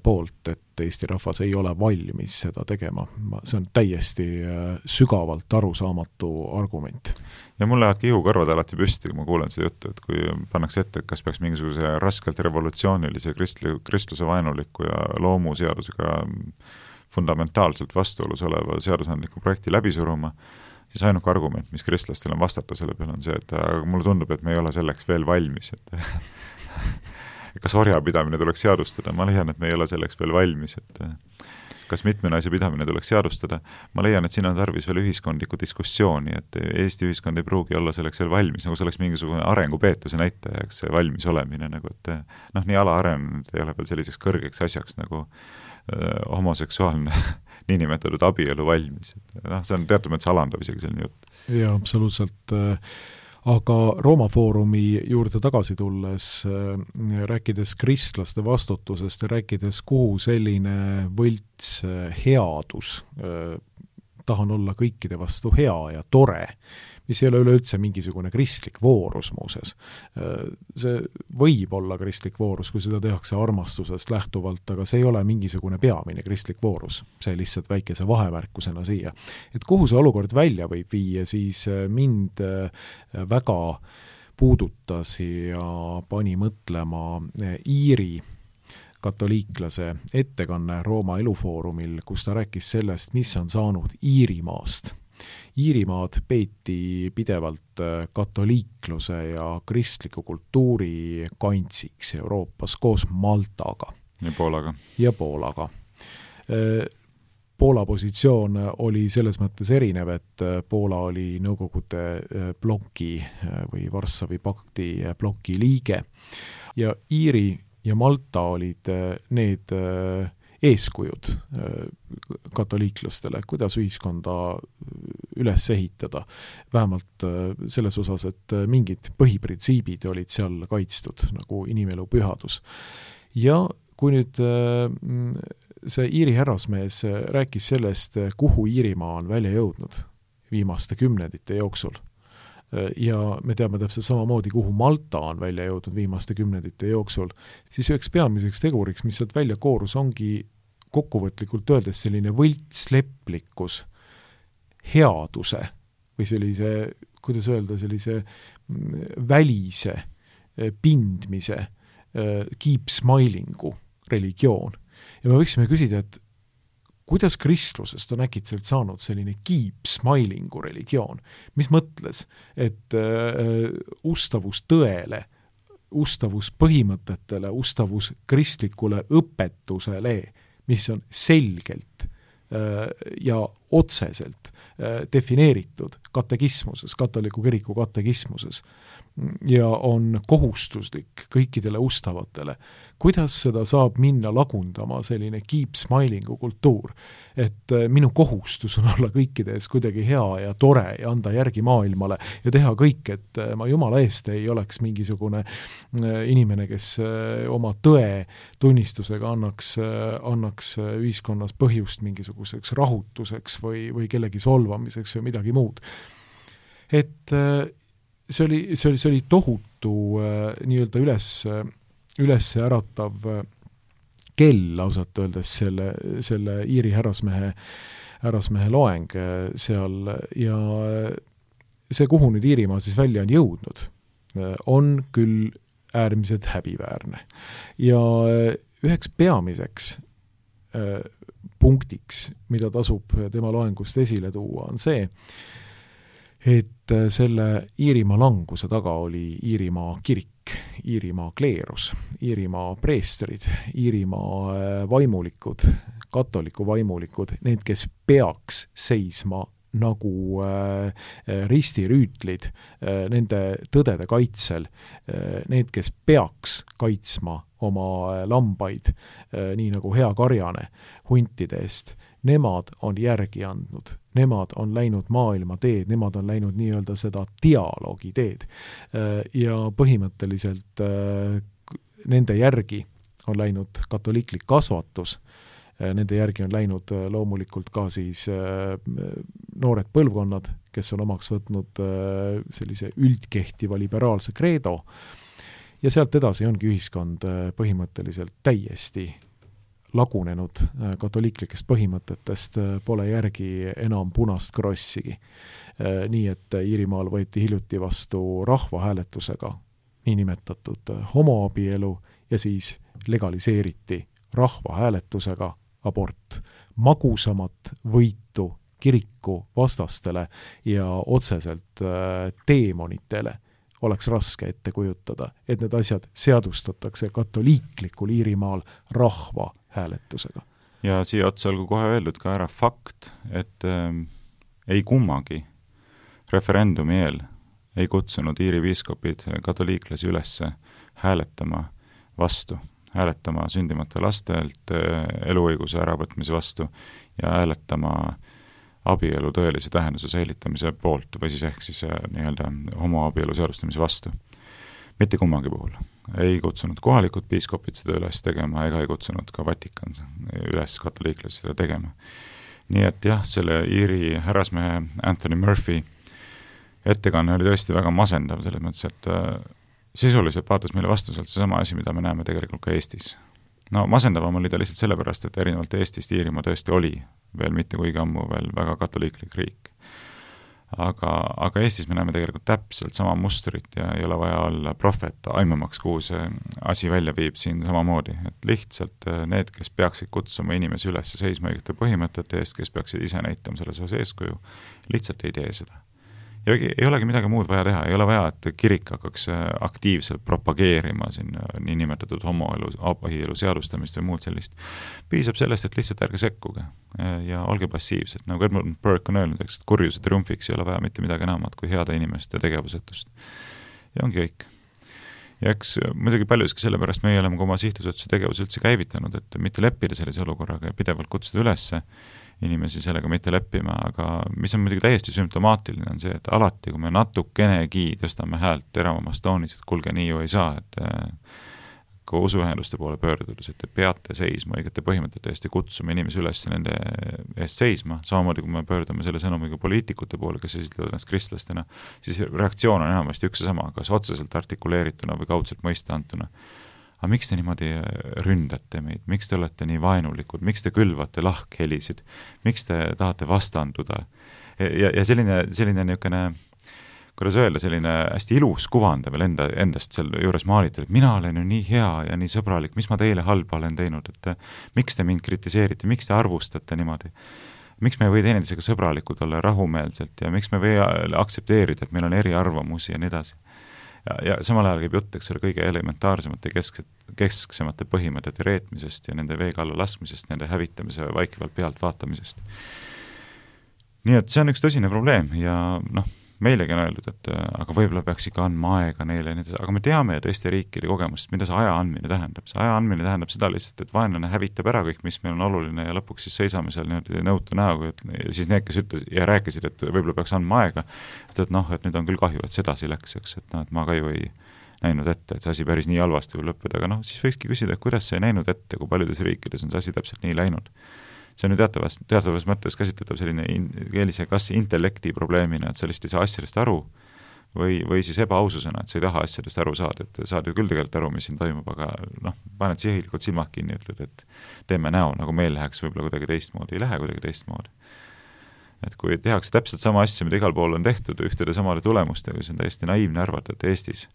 poolt, et Eesti rahvas ei ole valmis seda tegema. See on täiesti sügavalt arusaamatu argument. Ja mul lähevad ihukarvad alati püsti, kui ma kuulen seda juttu, et kui pannakse ette, et kas peaks mingisuguse raskelt revolutsioonilise kristli, kristluse vaenuliku ja loomuseadusega fundamentaalselt vastuolus oleva seadusandliku projekti läbi suruma, siis ainuke argument, mis kristlastel on vastata selle peale, on see, et mulle tundub, et me ei ole selleks veel valmis, et kas orjapidamine tuleks seadustada, ma leian, et me ei ole selleks veel valmis, et kas mitme naise pidamine tuleks seadustada, ma leian, et siin on tarvis veel ühiskondlikku diskussiooni, et Eesti ühiskond ei pruugi olla selleks veel valmis, nagu see oleks mingisugune arengupeetuse näitajaks valmis olemine, nagu et noh, nii ala arenenud ei ole veel selliseks kõrgeks asjaks nagu öö, homoseksuaalne niinimetatud abielu valmis. No, see on teatud mõttes alandav isegi selline jutt. Jaa, absoluutselt. Aga Rooma Foorumi juurde tagasi tulles, rääkides kristlaste vastutusest ja rääkides, kuhu selline võlts headus, tahan olla kõikide vastu hea ja tore, mis ei ole üleüldse mingisugune kristlik voorus muuses. See võib olla kristlik voorus, kui seda tehakse armastusest lähtuvalt, aga see ei ole mingisugune peamine kristlik voorus. See lihtsalt väikese vahemärkusena siia. Et kuhu see olukord välja võib viia, siis mind väga puudutas ja pani mõtlema Iiri katoliiklase ettekanne Rooma Elufoorumil, kus ta rääkis sellest, mis on saanud Iirimaast. Iirimaad peeti pidevalt katoliikluse ja kristliku kultuuri kantsiks Euroopas koos Maltaga. Ja Poolaga. Ja Poolaga. Poola positsioon oli selles mõttes erinev, et Poola oli Nõukogude bloki või Varssavi pakti bloki liige ja Iiri ja Malta olid need eeskujud katoliiklastele, kuidas ühiskonda üles ehitada. Vähemalt selles osas, et mingid põhiprintsiibid olid seal kaitstud, nagu inimelu pühadus. Ja kui nüüd see Iiri härrasmees rääkis sellest, kuhu Iirimaa on välja jõudnud viimaste kümnendite jooksul, ja me teame täpselt samamoodi, kuhu Malta on välja jõudnud viimaste kümnendite jooksul, siis üheks peamiseks teguriks, mis sealt välja koorus, ongi kokkuvõtlikult öeldes selline võltsleplikkus, headuse või sellise, kuidas öelda, sellise välise pindmise, keep smilingu religioon. Ja me võiksime küsida, et kuidas kristlusest on äkitselt saanud selline keep smilingu religioon? Mis mõtles, et äh, ustavus tõele, ustavus põhimõtetele, ustavus kristlikule õpetusele, mis on selgelt äh, ja otseselt äh, defineeritud katekismuses, katoliku kiriku katekismuses ja on kohustuslik kõikidele ustavatele. Kuidas seda saab minna lagundama selline keep smilingu kultuur, et minu kohustus on olla kõikides kuidagi hea ja tore ja anda järgi maailmale ja teha kõik, et ma jumala eest ei oleks mingisugune inimene, kes oma tõe tunnistusega annaks, annaks ühiskonnas põhjust mingisuguseks rahutuseks või, või kellegi solvamiseks või midagi muud. Et see oli, see oli, see oli tohutu nii-öelda üles üles äratav kell ausalt öeldes selle, selle Iiri härrasmehe, härrasmehe loeng seal ja see, kuhu nüüd Iirimaa siis välja on jõudnud, on küll äärmiselt häbiväärne. Ja üheks peamiseks punktiks, mida tasub tema loengust esile tuua, on see, et selle Iirimaa languse taga oli Iirimaa kirik, Iirimaa kleerus, Iirimaa preestrid, Iirimaa vaimulikud, katoliku vaimulikud, need, kes peaks seisma nagu äh, ristirüütlid äh, nende tõdede kaitsel, äh, need, kes peaks kaitsma oma lambaid, äh, nii nagu hea karjane huntide eest, nemad on järgi andnud, nemad on läinud maailma teed, nemad on läinud nii-öelda seda dialoogi teed ja põhimõtteliselt nende järgi on läinud katoliiklik kasvatus, nende järgi on läinud loomulikult ka siis noored põlvkonnad, kes on omaks võtnud sellise üldkehtiva liberaalse kreedo ja sealt edasi ongi ühiskond põhimõtteliselt täiesti lagunenud katoliiklikest põhimõtetest, pole järgi enam punast krossigi. Nii, et Iirimaal võeti hiljuti vastu rahvahääletusega niinimetatud homoabielu ja siis legaliseeriti rahvahääletusega abort. Magusamat võitu kiriku vastastele ja otseselt teemonitele oleks raske ette kujutada, et need asjad seadustatakse katoliiklikul Iirimaal rahva hääletusega. Ja siia otsa olgu kohe öeldud ka ära fakt, et äh, ei kummagi referendumi eel ei kutsunud Iiri piiskopid katoliiklasi üles hääletama vastu, hääletama sündimata lastelt äh, eluõiguse äravõtmise vastu ja hääletama abielu tõelise tähenduse säilitamise poolt või siis ehk siis nii-öelda homoabielu seadustamise vastu. Mitte kummagi puhul. Ei kutsunud kohalikud piiskopid seda üles tegema ega ei kutsunud ka Vatikan üles katoliiklasi seda tegema. Nii et jah, selle Iiri härrasmehe Anthony Murphy ettekanne oli tõesti väga masendav selles mõttes, et sisuliselt vaatas meile vastu sealt seesama asi, mida me näeme tegelikult ka Eestis. No masendavam oli ta lihtsalt sellepärast, et erinevalt Eestist Iirimaa tõesti oli veel mitte kuigi ammu veel väga katoliiklik riik. Aga, aga Eestis me näeme tegelikult täpselt sama mustrit ja ei ole vaja olla prohvet aimamaks, kuhu see asi välja viib siin samamoodi. Et lihtsalt need, kes peaksid kutsuma inimesi üles seisma õigete põhimõtete eest, kes peaksid ise näitama selles osas eeskuju, lihtsalt ei tee seda. Ja ei olegi midagi muud vaja teha, ei ole vaja, et kirik hakkaks aktiivselt propageerima siin niinimetatud homoelu, abielu seadustamist või muud sellist. Piisab sellest, et lihtsalt ärge sekkuge ja olge passiivsed. Nagu Edmund Burke on öelnud, eks, et kurjuse triumfiks ei ole vaja mitte midagi enamat kui heade inimeste tegevusetust. Ja ongi kõik. Ja eks muidugi paljuski sellepärast meie oleme oma sihtasutuse tegevuse üldse käivitanud, et mitte leppida sellise olukorraga ja pidevalt kutsuda ülesse inimesi sellega mitte leppima, aga mis on muidugi täiesti sümptomaatiline on see, et alati, kui me natukenegi tõstame häält teravamast toonis, et kulge nii ju ei saa, et ka usuühenduste poole pöördudes, et te peate seisma õigete põhimõtete eest ja kutsume inimesi üles nende eest seisma, samamoodi kui me pöördume selle sõnumiga poliitikute poole, kes esitlevad ennast kristlastena, siis reaktsioon on enamasti üks ja sama, kas otseselt artikuleerituna või kaudselt mõista antuna. Aga miks te niimoodi ründate meid, miks te olete nii vaenulikud, miks te külvate lahkhelisid, miks te tahate vastanduda? Ja, ja selline, selline niisugune, kuidas öelda, selline hästi ilus kuvanda veel enda, endast selle juures maalitud, et mina olen ju nii hea ja nii sõbralik, mis ma teile halba olen teinud, et miks te mind kritiseerite, miks te arvustate niimoodi, miks me ei või teineteisega sõbralikud olla rahumeelselt ja miks me ei või aktsepteerida, et meil on eriarvamusi ja nii edasi. Ja, ja samal ajal käib jutt, eks ole, kõige elementaarsemate kesk, kesksemate põhimõtete reetmisest ja nende veega alla laskmisest, nende hävitamise vaikivalt pealt vaatamisest. Nii et see on üks tõsine probleem ja noh, meilegi on öeldud, et aga võib-olla peaks ikka andma aega neile, aga me teame ju teiste riikide kogemust, mida see aja andmine tähendab. See aja andmine tähendab seda lihtsalt, et vaenlane hävitab ära kõik, mis meil on oluline ja lõpuks siis seisame seal niimoodi nõutu näoga, ja siis need, kes ütles ja rääkisid, et võib-olla peaks andma aega, et, et noh, et nüüd on küll kahju, et sedasi läks, eks, et, no, et ma ka ju ei näinud ette, et see asi päris nii halvasti võib lõppeda, aga noh, siis võikski küsida, et kuidas see ei näinud ette, kui paljudes riikides on see asi täpselt nii läinud. See on ju teatavas, teatavas mõttes käsitletav selline in, keelise kas intellekti probleemina, et sa lihtsalt ei saa asjadest aru või, või siis ebaaususena, et sa ei taha asjadest aru saada, et saad ju küll tegelikult aru, mis siin toimub, aga noh, paned sihilikult silmad kinni ja ütled, et teeme näo, nagu meil läheks võib-olla kuidagi teistmoodi, ei lähe kuidagi teistmoodi. Et kui tehakse täpselt sama asja, mida igal pool on tehtud ühtede samale tulemustega, siis on täiesti naiivne arvata, et Eestis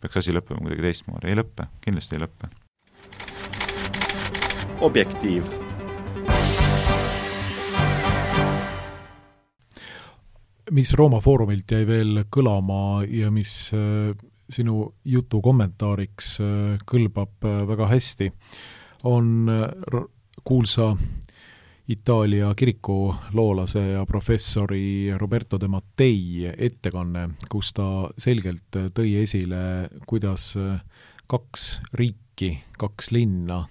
peaks asi lõppema kuidagi teistmoodi. Ei lõppe, kindlasti ei lõppe. Objektiiv. Mis Rooma Foorumilt jäi veel kõlama ja mis äh, sinu jutu kommentaariks äh, kõlbab äh, väga hästi, on äh, kuulsa Itaalia kiriku loolase ja professori Roberto De Mattei ettekanne, kus ta selgelt tõi esile, kuidas äh, kaks riiki, kaks linna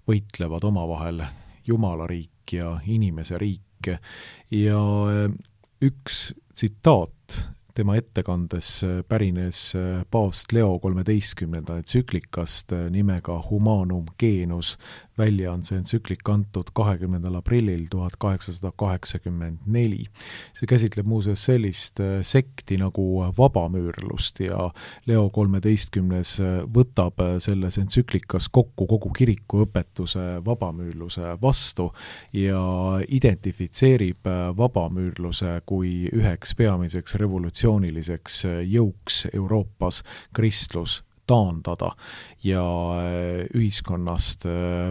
võitlevad omavahel, Jumala riik ja inimese riik ja äh, üks tsitaat tema ettekandes pärines paavst Leo kolmeteistkümnenda entsüklikast nimega Humanum Genus, välja on see entsüklik antud kahekümnendal aprillil tuhat kaheksasada kaheksakümmend neli. See käsitleb muuseas sellist sekti nagu vabamüürlust ja Leo kolmeteistkümnes võtab selles entsüklikas kokku kogu kiriku õpetuse vabamüürluse vastu ja identifitseerib vabamüürluse kui üheks peamiseks revolutsiooniliseks jõuks Euroopas kristlus taandada ja ühiskonnast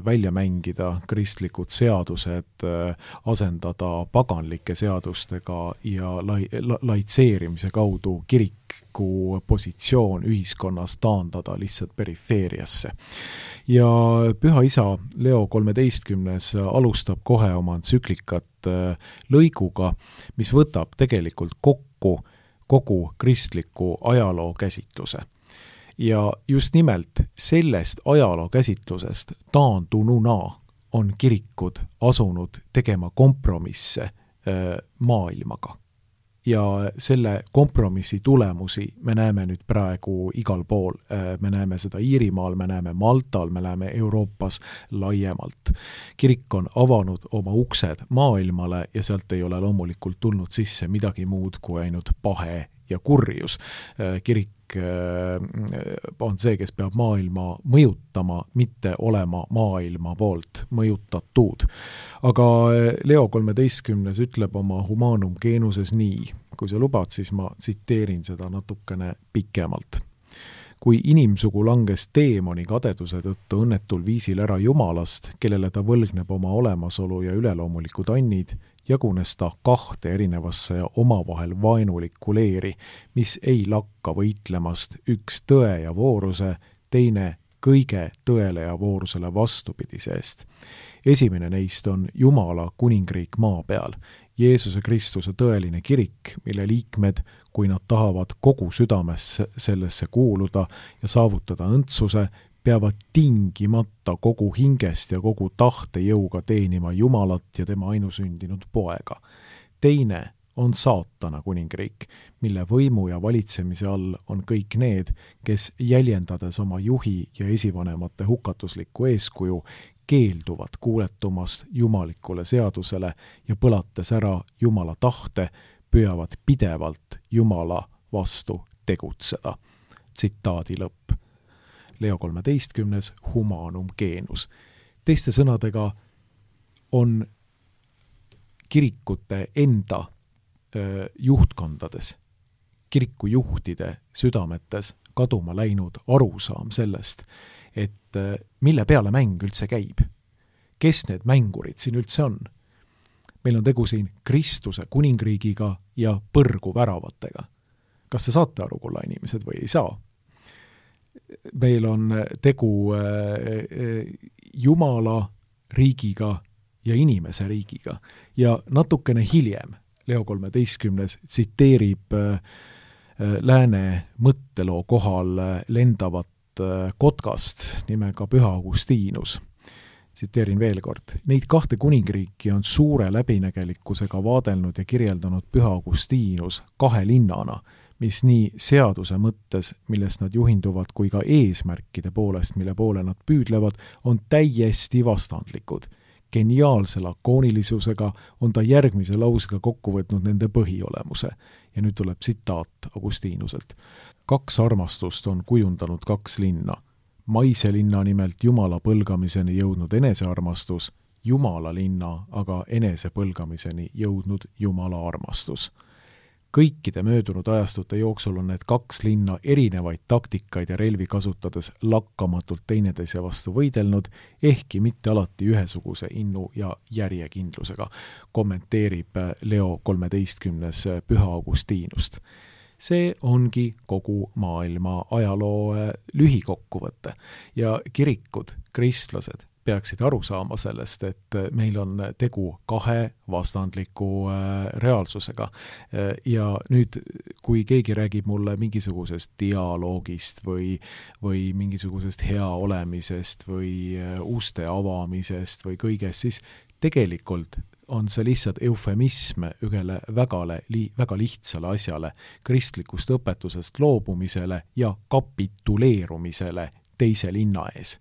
välja mängida kristlikud seadused, asendada paganlike seadustega ja lai, la, laitseerimise kaudu kiriku positsioon ühiskonnas taandada lihtsalt perifeeriasse. Ja Püha Isa Leo kolmeteistkümnes alustab kohe oma entsüklikat lõiguga, mis võtab tegelikult kokku kogu kristliku ajaloo käsitluse. Ja just nimelt sellest ajaloo käsitlusest taandununa on kirikud asunud tegema kompromisse maailmaga. Ja selle kompromissi tulemusi me näeme nüüd praegu igal pool. Me näeme seda Iirimaal, me näeme Maltal, me näeme Euroopas laiemalt. Kirik on avanud oma uksed maailmale ja sealt ei ole loomulikult tulnud sisse midagi muud kui ainult pahe ja kurjus. Kirik on see, kes peab maailma mõjutama, mitte olema maailma poolt mõjutatud. Aga Leo kolmeteistkümnes ütleb oma Humanum Genuses nii, kui sa lubad, siis ma tsiteerin seda natukene pikemalt. Kui inimsugu langes teemoni kadeduse tõttu õnnetul viisil ära Jumalast, kellele ta võlgneb oma olemasolu ja üleloomulikud annid, jagunes ta kahte erinevasse ja omavahel vaenulikku leeri, mis ei lakka võitlemast üks tõe ja vooruse, teine kõige tõele ja voorusele vastupidise eest. Esimene neist on Jumala kuningriik maa peal, Jeesuse Kristuse tõeline kirik, mille liikmed, kui nad tahavad kogu südames sellesse kuuluda ja saavutada õndsuse, peavad tingimata kogu hingest ja kogu tahte jõuga teenima Jumalat ja tema ainusündinud poega. Teine on saatana kuningriik, mille võimu ja valitsemise all on kõik need, kes jäljendades oma juhi ja esivanemate hukatuslikku eeskuju, keelduvad kuuletumast jumalikule seadusele ja põlates ära Jumala tahte, püüavad pidevalt Jumala vastu tegutseda. Tsitaadi lõpp. Leo kolmeteistkümnes Humanum Genus. Teiste sõnadega on kirikute enda öö, juhtkondades, kirikujuhtide südametes kaduma läinud arusaam sellest, et mille peale mäng üldse käib. Kes need mängurid siin üldse on? Meil on tegu siin Kristuse kuningriigiga ja põrgu väravatega. Kas te saate aru, kulla inimesed, või ei saa? Meil on tegu Jumala riigiga ja inimese riigiga. Ja natukene hiljem Leo kolmeteistkümnes tsiteerib lääne mõtteloo kohal lendavat kotkast nimega Püha Augustiinus. Tsiteerin veel kord. Neid kahte kuningriiki on suure läbinägelikkusega vaadelnud ja kirjeldanud Püha Augustiinus kahe linnana, mis nii seaduse mõttes, millest nad juhinduvad, kui ka eesmärkide poolest, mille poole nad püüdlevad, on täiesti vastandlikud. Geniaalse lakoonilisusega on ta järgmise lausega kokku võtnud nende põhiolemuse. Ja nüüd tuleb tsitaat Augustiinuselt. Kaks armastust on kujundanud kaks linna. Maise linna nimelt Jumala põlgamiseni jõudnud enesearmastus, Jumala linna aga enese põlgamiseni jõudnud Jumala armastus. Kõikide möödunud ajastute jooksul on need kaks linna erinevaid taktikaid ja relvi kasutades lakkamatult teineteise vastu võidelnud, ehkki mitte alati ühesuguse innu ja järjekindlusega, kommenteerib Leo kolmeteistkümnes Püha Augustiinust. See ongi kogu maailma ajaloo lühikokkuvõte ja kirikud, kristlased peaksid aru saama sellest, et meil on tegu kahe vastandliku reaalsusega. Ja nüüd, kui keegi räägib mulle mingisugusest dialoogist või, või mingisugusest hea olemisest või uste avamisest või kõigest, siis tegelikult on see lihtsalt eufemism ühele vägale, li, väga lihtsale asjale, kristlikust õpetusest loobumisele ja kapituleerumisele teise linna ees.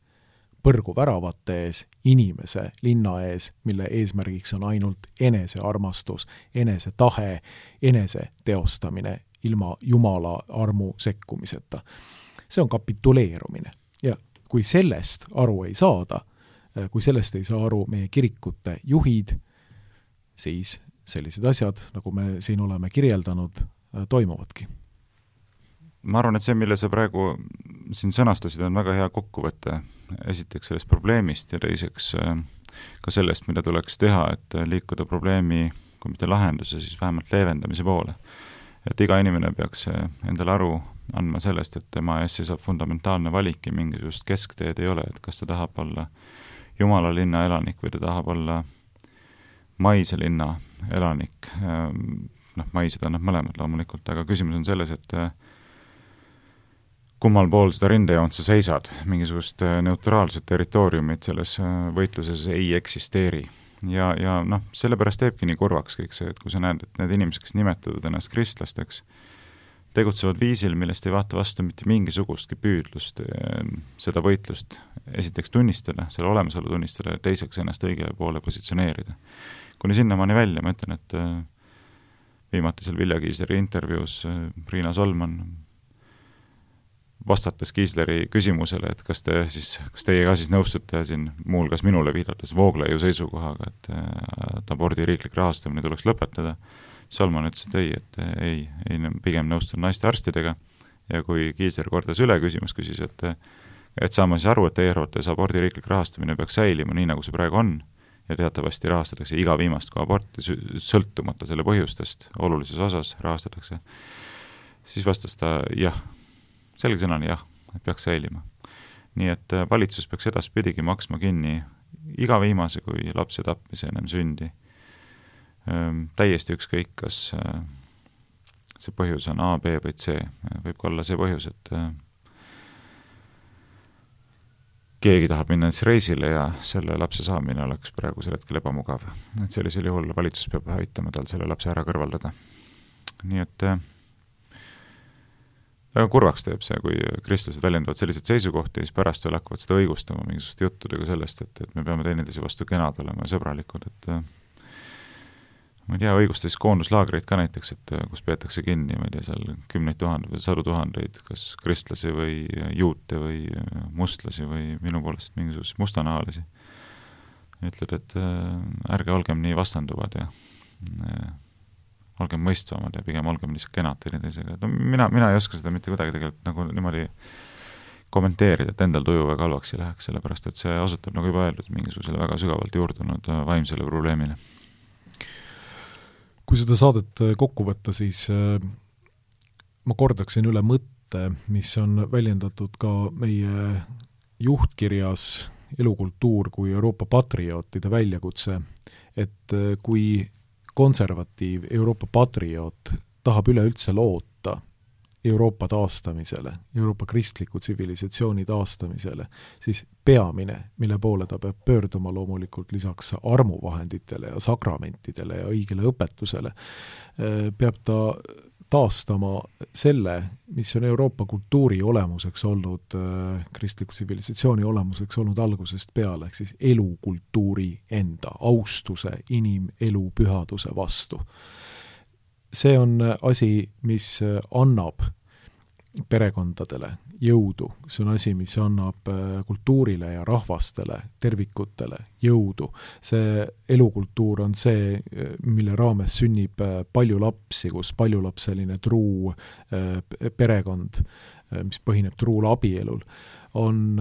Põrgu väravate ees, inimese linna ees, mille eesmärgiks on ainult enese armastus, enese tahe, enese teostamine ilma Jumala armu sekkumiseta. See on kapituleerumine. Ja kui sellest aru ei saada, kui sellest ei saa aru meie kirikute juhid, siis sellised asjad, nagu me siin oleme kirjeldanud, toimuvadki. Ma arvan, et see, mille sa praegu siin sõnastasid, on väga hea kokkuvõte. Esiteks sellest probleemist ja teiseks ka sellest, mida tuleks teha, et liikuda probleemi, kui mitte lahenduse, siis vähemalt leevendamise poole. Et iga inimene peaks endale aru andma sellest, et tema ees seisab fundamentaalne valik ja mingisugust keskteed ei ole, et kas ta tahab olla Jumala linna elanik või ta tahab olla maise linna elanik. Noh, maised on nad mõlemad loomulikult, aga küsimus on selles, et kummal pool seda rindejoont sa seisad, mingisugust neutraalset territooriumit selles võitluses ei eksisteeri. Ja, ja noh, sellepärast teebki nii kurvaks kõik see, et kui sa näed, et need inimesed, kes nimetatud ennast kristlasteks, tegutsevad viisil, millest ei vaata vastu mitte mingisugustki püüdlust seda võitlust esiteks tunnistada, selle olemasolu tunnistada ja teiseks ennast õige poole positsioneerida. Kuni sinnamaani välja, ma ütlen, et viimatisel Vilja Kiisleri intervjuus Riina Solman vastates Kiisleri küsimusele, et kas te siis, kas teie ka siis nõustute siin muulgas minule viidates Vooglaiu seisukohaga, et, et abordi riiklik rahastamine tuleks lõpetada. Solman ütles, et ei, et ei, ei pigem nõustun naiste arstidega ja kui Kiisler kordas üle küsimus, küsis, et, et saama siis aru, et teie arvates abordi riiklik rahastamine peaks säilima nii, nagu see praegu on ja teatavasti rahastatakse iga viimast kui aborti sõltumata selle põhjustest, olulises osas rahastatakse, siis vastas ta jah, selge sõnani jah, et peaks säilima. Nii et valitsus peaks edaspidigi maksma kinni iga viimase kui lapse tapmise ennem sündi. Täiesti ükskõik, kas see põhjus on A, B või C. Võib olla see põhjus, et keegi tahab minna näiteks reisile ja selle lapse saamine oleks praegusel hetkel ebamugav. Et sellisel juhul valitsus peab aitama tal selle lapse ära kõrvaldada. Nii et väga kurvaks teeb see, kui kristlased väljendavad selliseid seisukohti ja siis pärast veel hakkavad seda õigustama mingisuguste juttudega sellest, et, et me peame teineteise vastu kenad olema ja sõbralikud, et ma ei tea, õigustas koonduslaagreid ka näiteks, et kus peetakse kinni, ma ei tea, seal kümneid tuhandeid või sadu tuhandeid, kas kristlasi või juute või mustlasi või minu poolest mingisuguseid mustanahalisi. Ütled, et ärge olgem nii vastanduvad ja olgem mõistvamad ja pigem olgem lihtsalt kenad teineteisega. No, mina, mina ei oska seda mitte kuidagi tegelikult nagu niimoodi kommenteerida, et endal tuju väga halvaks ei läheks, sellepärast et see osutab, nagu juba öeldud, mingisugusele väga sügavalt juurdunud vaimsele probleemile. Kui seda saadet kokku võtta, siis ma kordaksin üle mõtte, mis on väljendatud ka meie juhtkirjas Elukultuur kui Euroopa patriootide väljakutse, et kui konservatiiv Euroopa patrioot tahab üleüldse loota Euroopa taastamisele, Euroopa kristliku tsivilisatsiooni taastamisele, siis peamine, mille poole ta peab pöörduma loomulikult lisaks armuvahenditele ja sakramentidele ja õigele õpetusele, peab ta taastama selle, mis on Euroopa kultuuri olemuseks olnud, kristliku tsivilisatsiooni olemuseks olnud algusest peale, ehk siis elukultuuri enda, austuse, inimelu pühaduse vastu. See on asi, mis annab perekondadele jõudu, see on asi, mis annab kultuurile ja rahvastele, tervikutele jõudu. See elukultuur on see, mille raames sünnib palju lapsi, kus paljulapseline truu perekond, mis põhineb truul abielul, on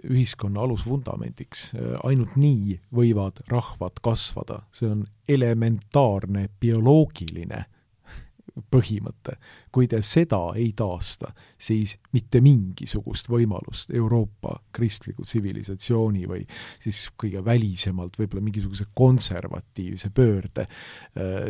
ühiskonna alusvundamendiks. Ainult nii võivad rahvad kasvada. See on elementaarne bioloogiline põhimõte. Kui te seda ei taasta, siis mitte mingisugust võimalust Euroopa kristliku tsivilisatsiooni või siis kõige välisemalt võib-olla mingisuguse konservatiivse pöörde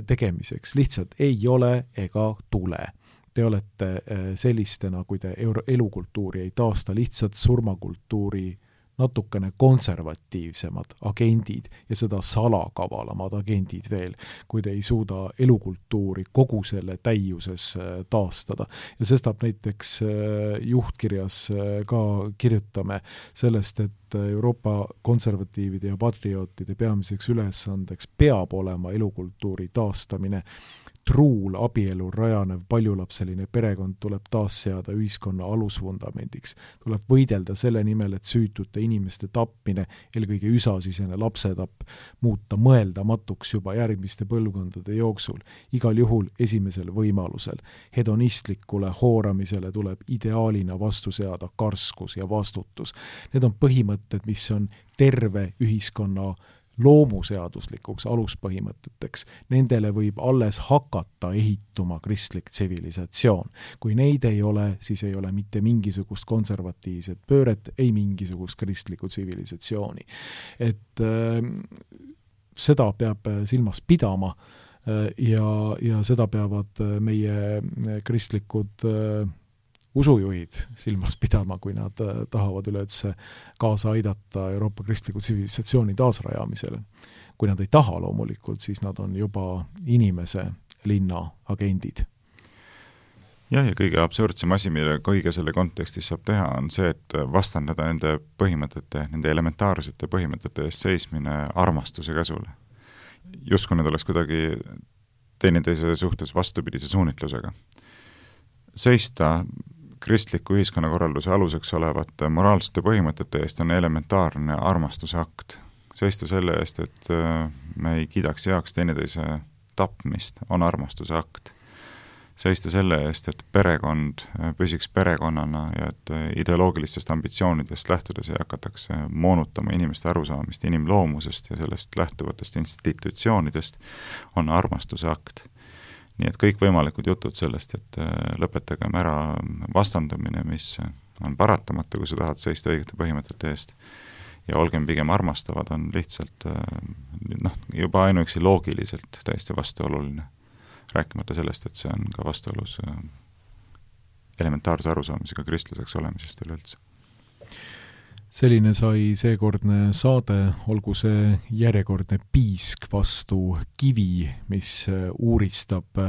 tegemiseks lihtsalt ei ole ega tule. Te olete sellistena, kui te elukultuuri ei taasta, lihtsalt surmakultuuri natukene konservatiivsemad agendid ja seda salakavalamad agendid veel, kui te ei suuda elukultuuri kogu selle täiuses taastada. Ja sestap näiteks juhtkirjas ka kirjutame sellest, et Euroopa konservatiivide ja patriootide peamiseks ülesandeks peab olema elukultuuri taastamine. Truul abielul rajanev paljulapseline perekond tuleb taas seada ühiskonna alusvundamendiks. Tuleb võidelda selle nimel, et süütute inimeste tappmine, eelkõige üsasisene lapsetapp, muuta mõeldamatuks juba järgmiste põlvkondade jooksul. Igal juhul esimesel võimalusel. Hedonistlikule hooramisele tuleb ideaalina vastu seada karskus ja vastutus. Need on põhimõtted, mis on terve ühiskonna loomuseaduslikuks aluspõhimõteteks. Nendele võib alles hakata ehituma kristlik tsivilisatsioon. Kui neid ei ole, siis ei ole mitte mingisugust konservatiivset pööret, ei mingisugust kristlikku tsivilisatsiooni. Et äh, seda peab silmas pidama äh, ja, ja seda peavad meie kristlikud äh, usujuhid silmas pidama, kui nad tahavad üleüldse kaasa aidata Euroopa kristliku tsivilisatsiooni taasrajamisele. Kui nad ei taha loomulikult, siis nad on juba inimese linna agendid. Jah, ja kõige absurdsem asi, mille kõige selle kontekstis saab teha, on see, et vastandada nende põhimõtete, nende elementaarsete põhimõtete eest seismine armastuse käsule. Justkui need oleks kuidagi teineteise suhtes vastupidise suunitlusega. Seista kristliku ühiskonnakorralduse aluseks olevate moraalsete põhimõtete eest on elementaarne armastuse akt. Seista selle eest, et me ei kiidaks heaks teineteise tapmist, on armastuse akt. Seista selle eest, et perekond püsiks perekonnana ja et ideoloogilistest ambitsioonidest lähtudes ei hakatakse moonutama inimeste arusaamist inimloomusest ja sellest lähtuvatest institutsioonidest, on armastuse akt. Nii et kõik võimalikud jutud sellest, et lõpetagem ära vastandumine, mis on paratamatu, kui sa tahad seista õigete põhimõtete eest, ja olgem pigem armastavad, on lihtsalt noh, juba ainuüksi loogiliselt täiesti vastuoluline. Rääkimata sellest, et see on ka vastuolus elementaarse arusaamisega kristlaseks olemisest üleüldse. selline sai seekordne saade, olgu see järjekordne piisk vastu kivi, mis uuristab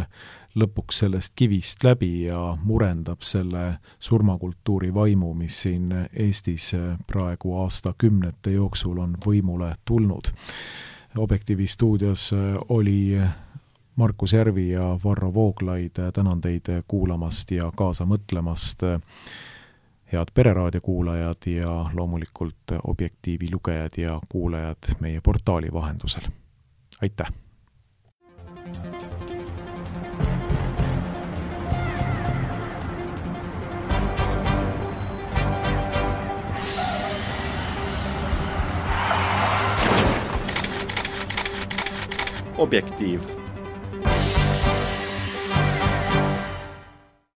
lõpuks sellest kivist läbi ja murendab selle surmakultuuri vaimu, mis siin Eestis praegu aastakümnete jooksul on võimule tulnud. Objektiivi stuudios oli Markus Järvi ja Varro Vooglaid, tänan teid kuulamast ja kaasa mõtlemast. Head Pereraadio kuulajad ja loomulikult Objektiivi lugejad ja kuulajad meie portaali vahendusel. Aitäh! Objektiiv.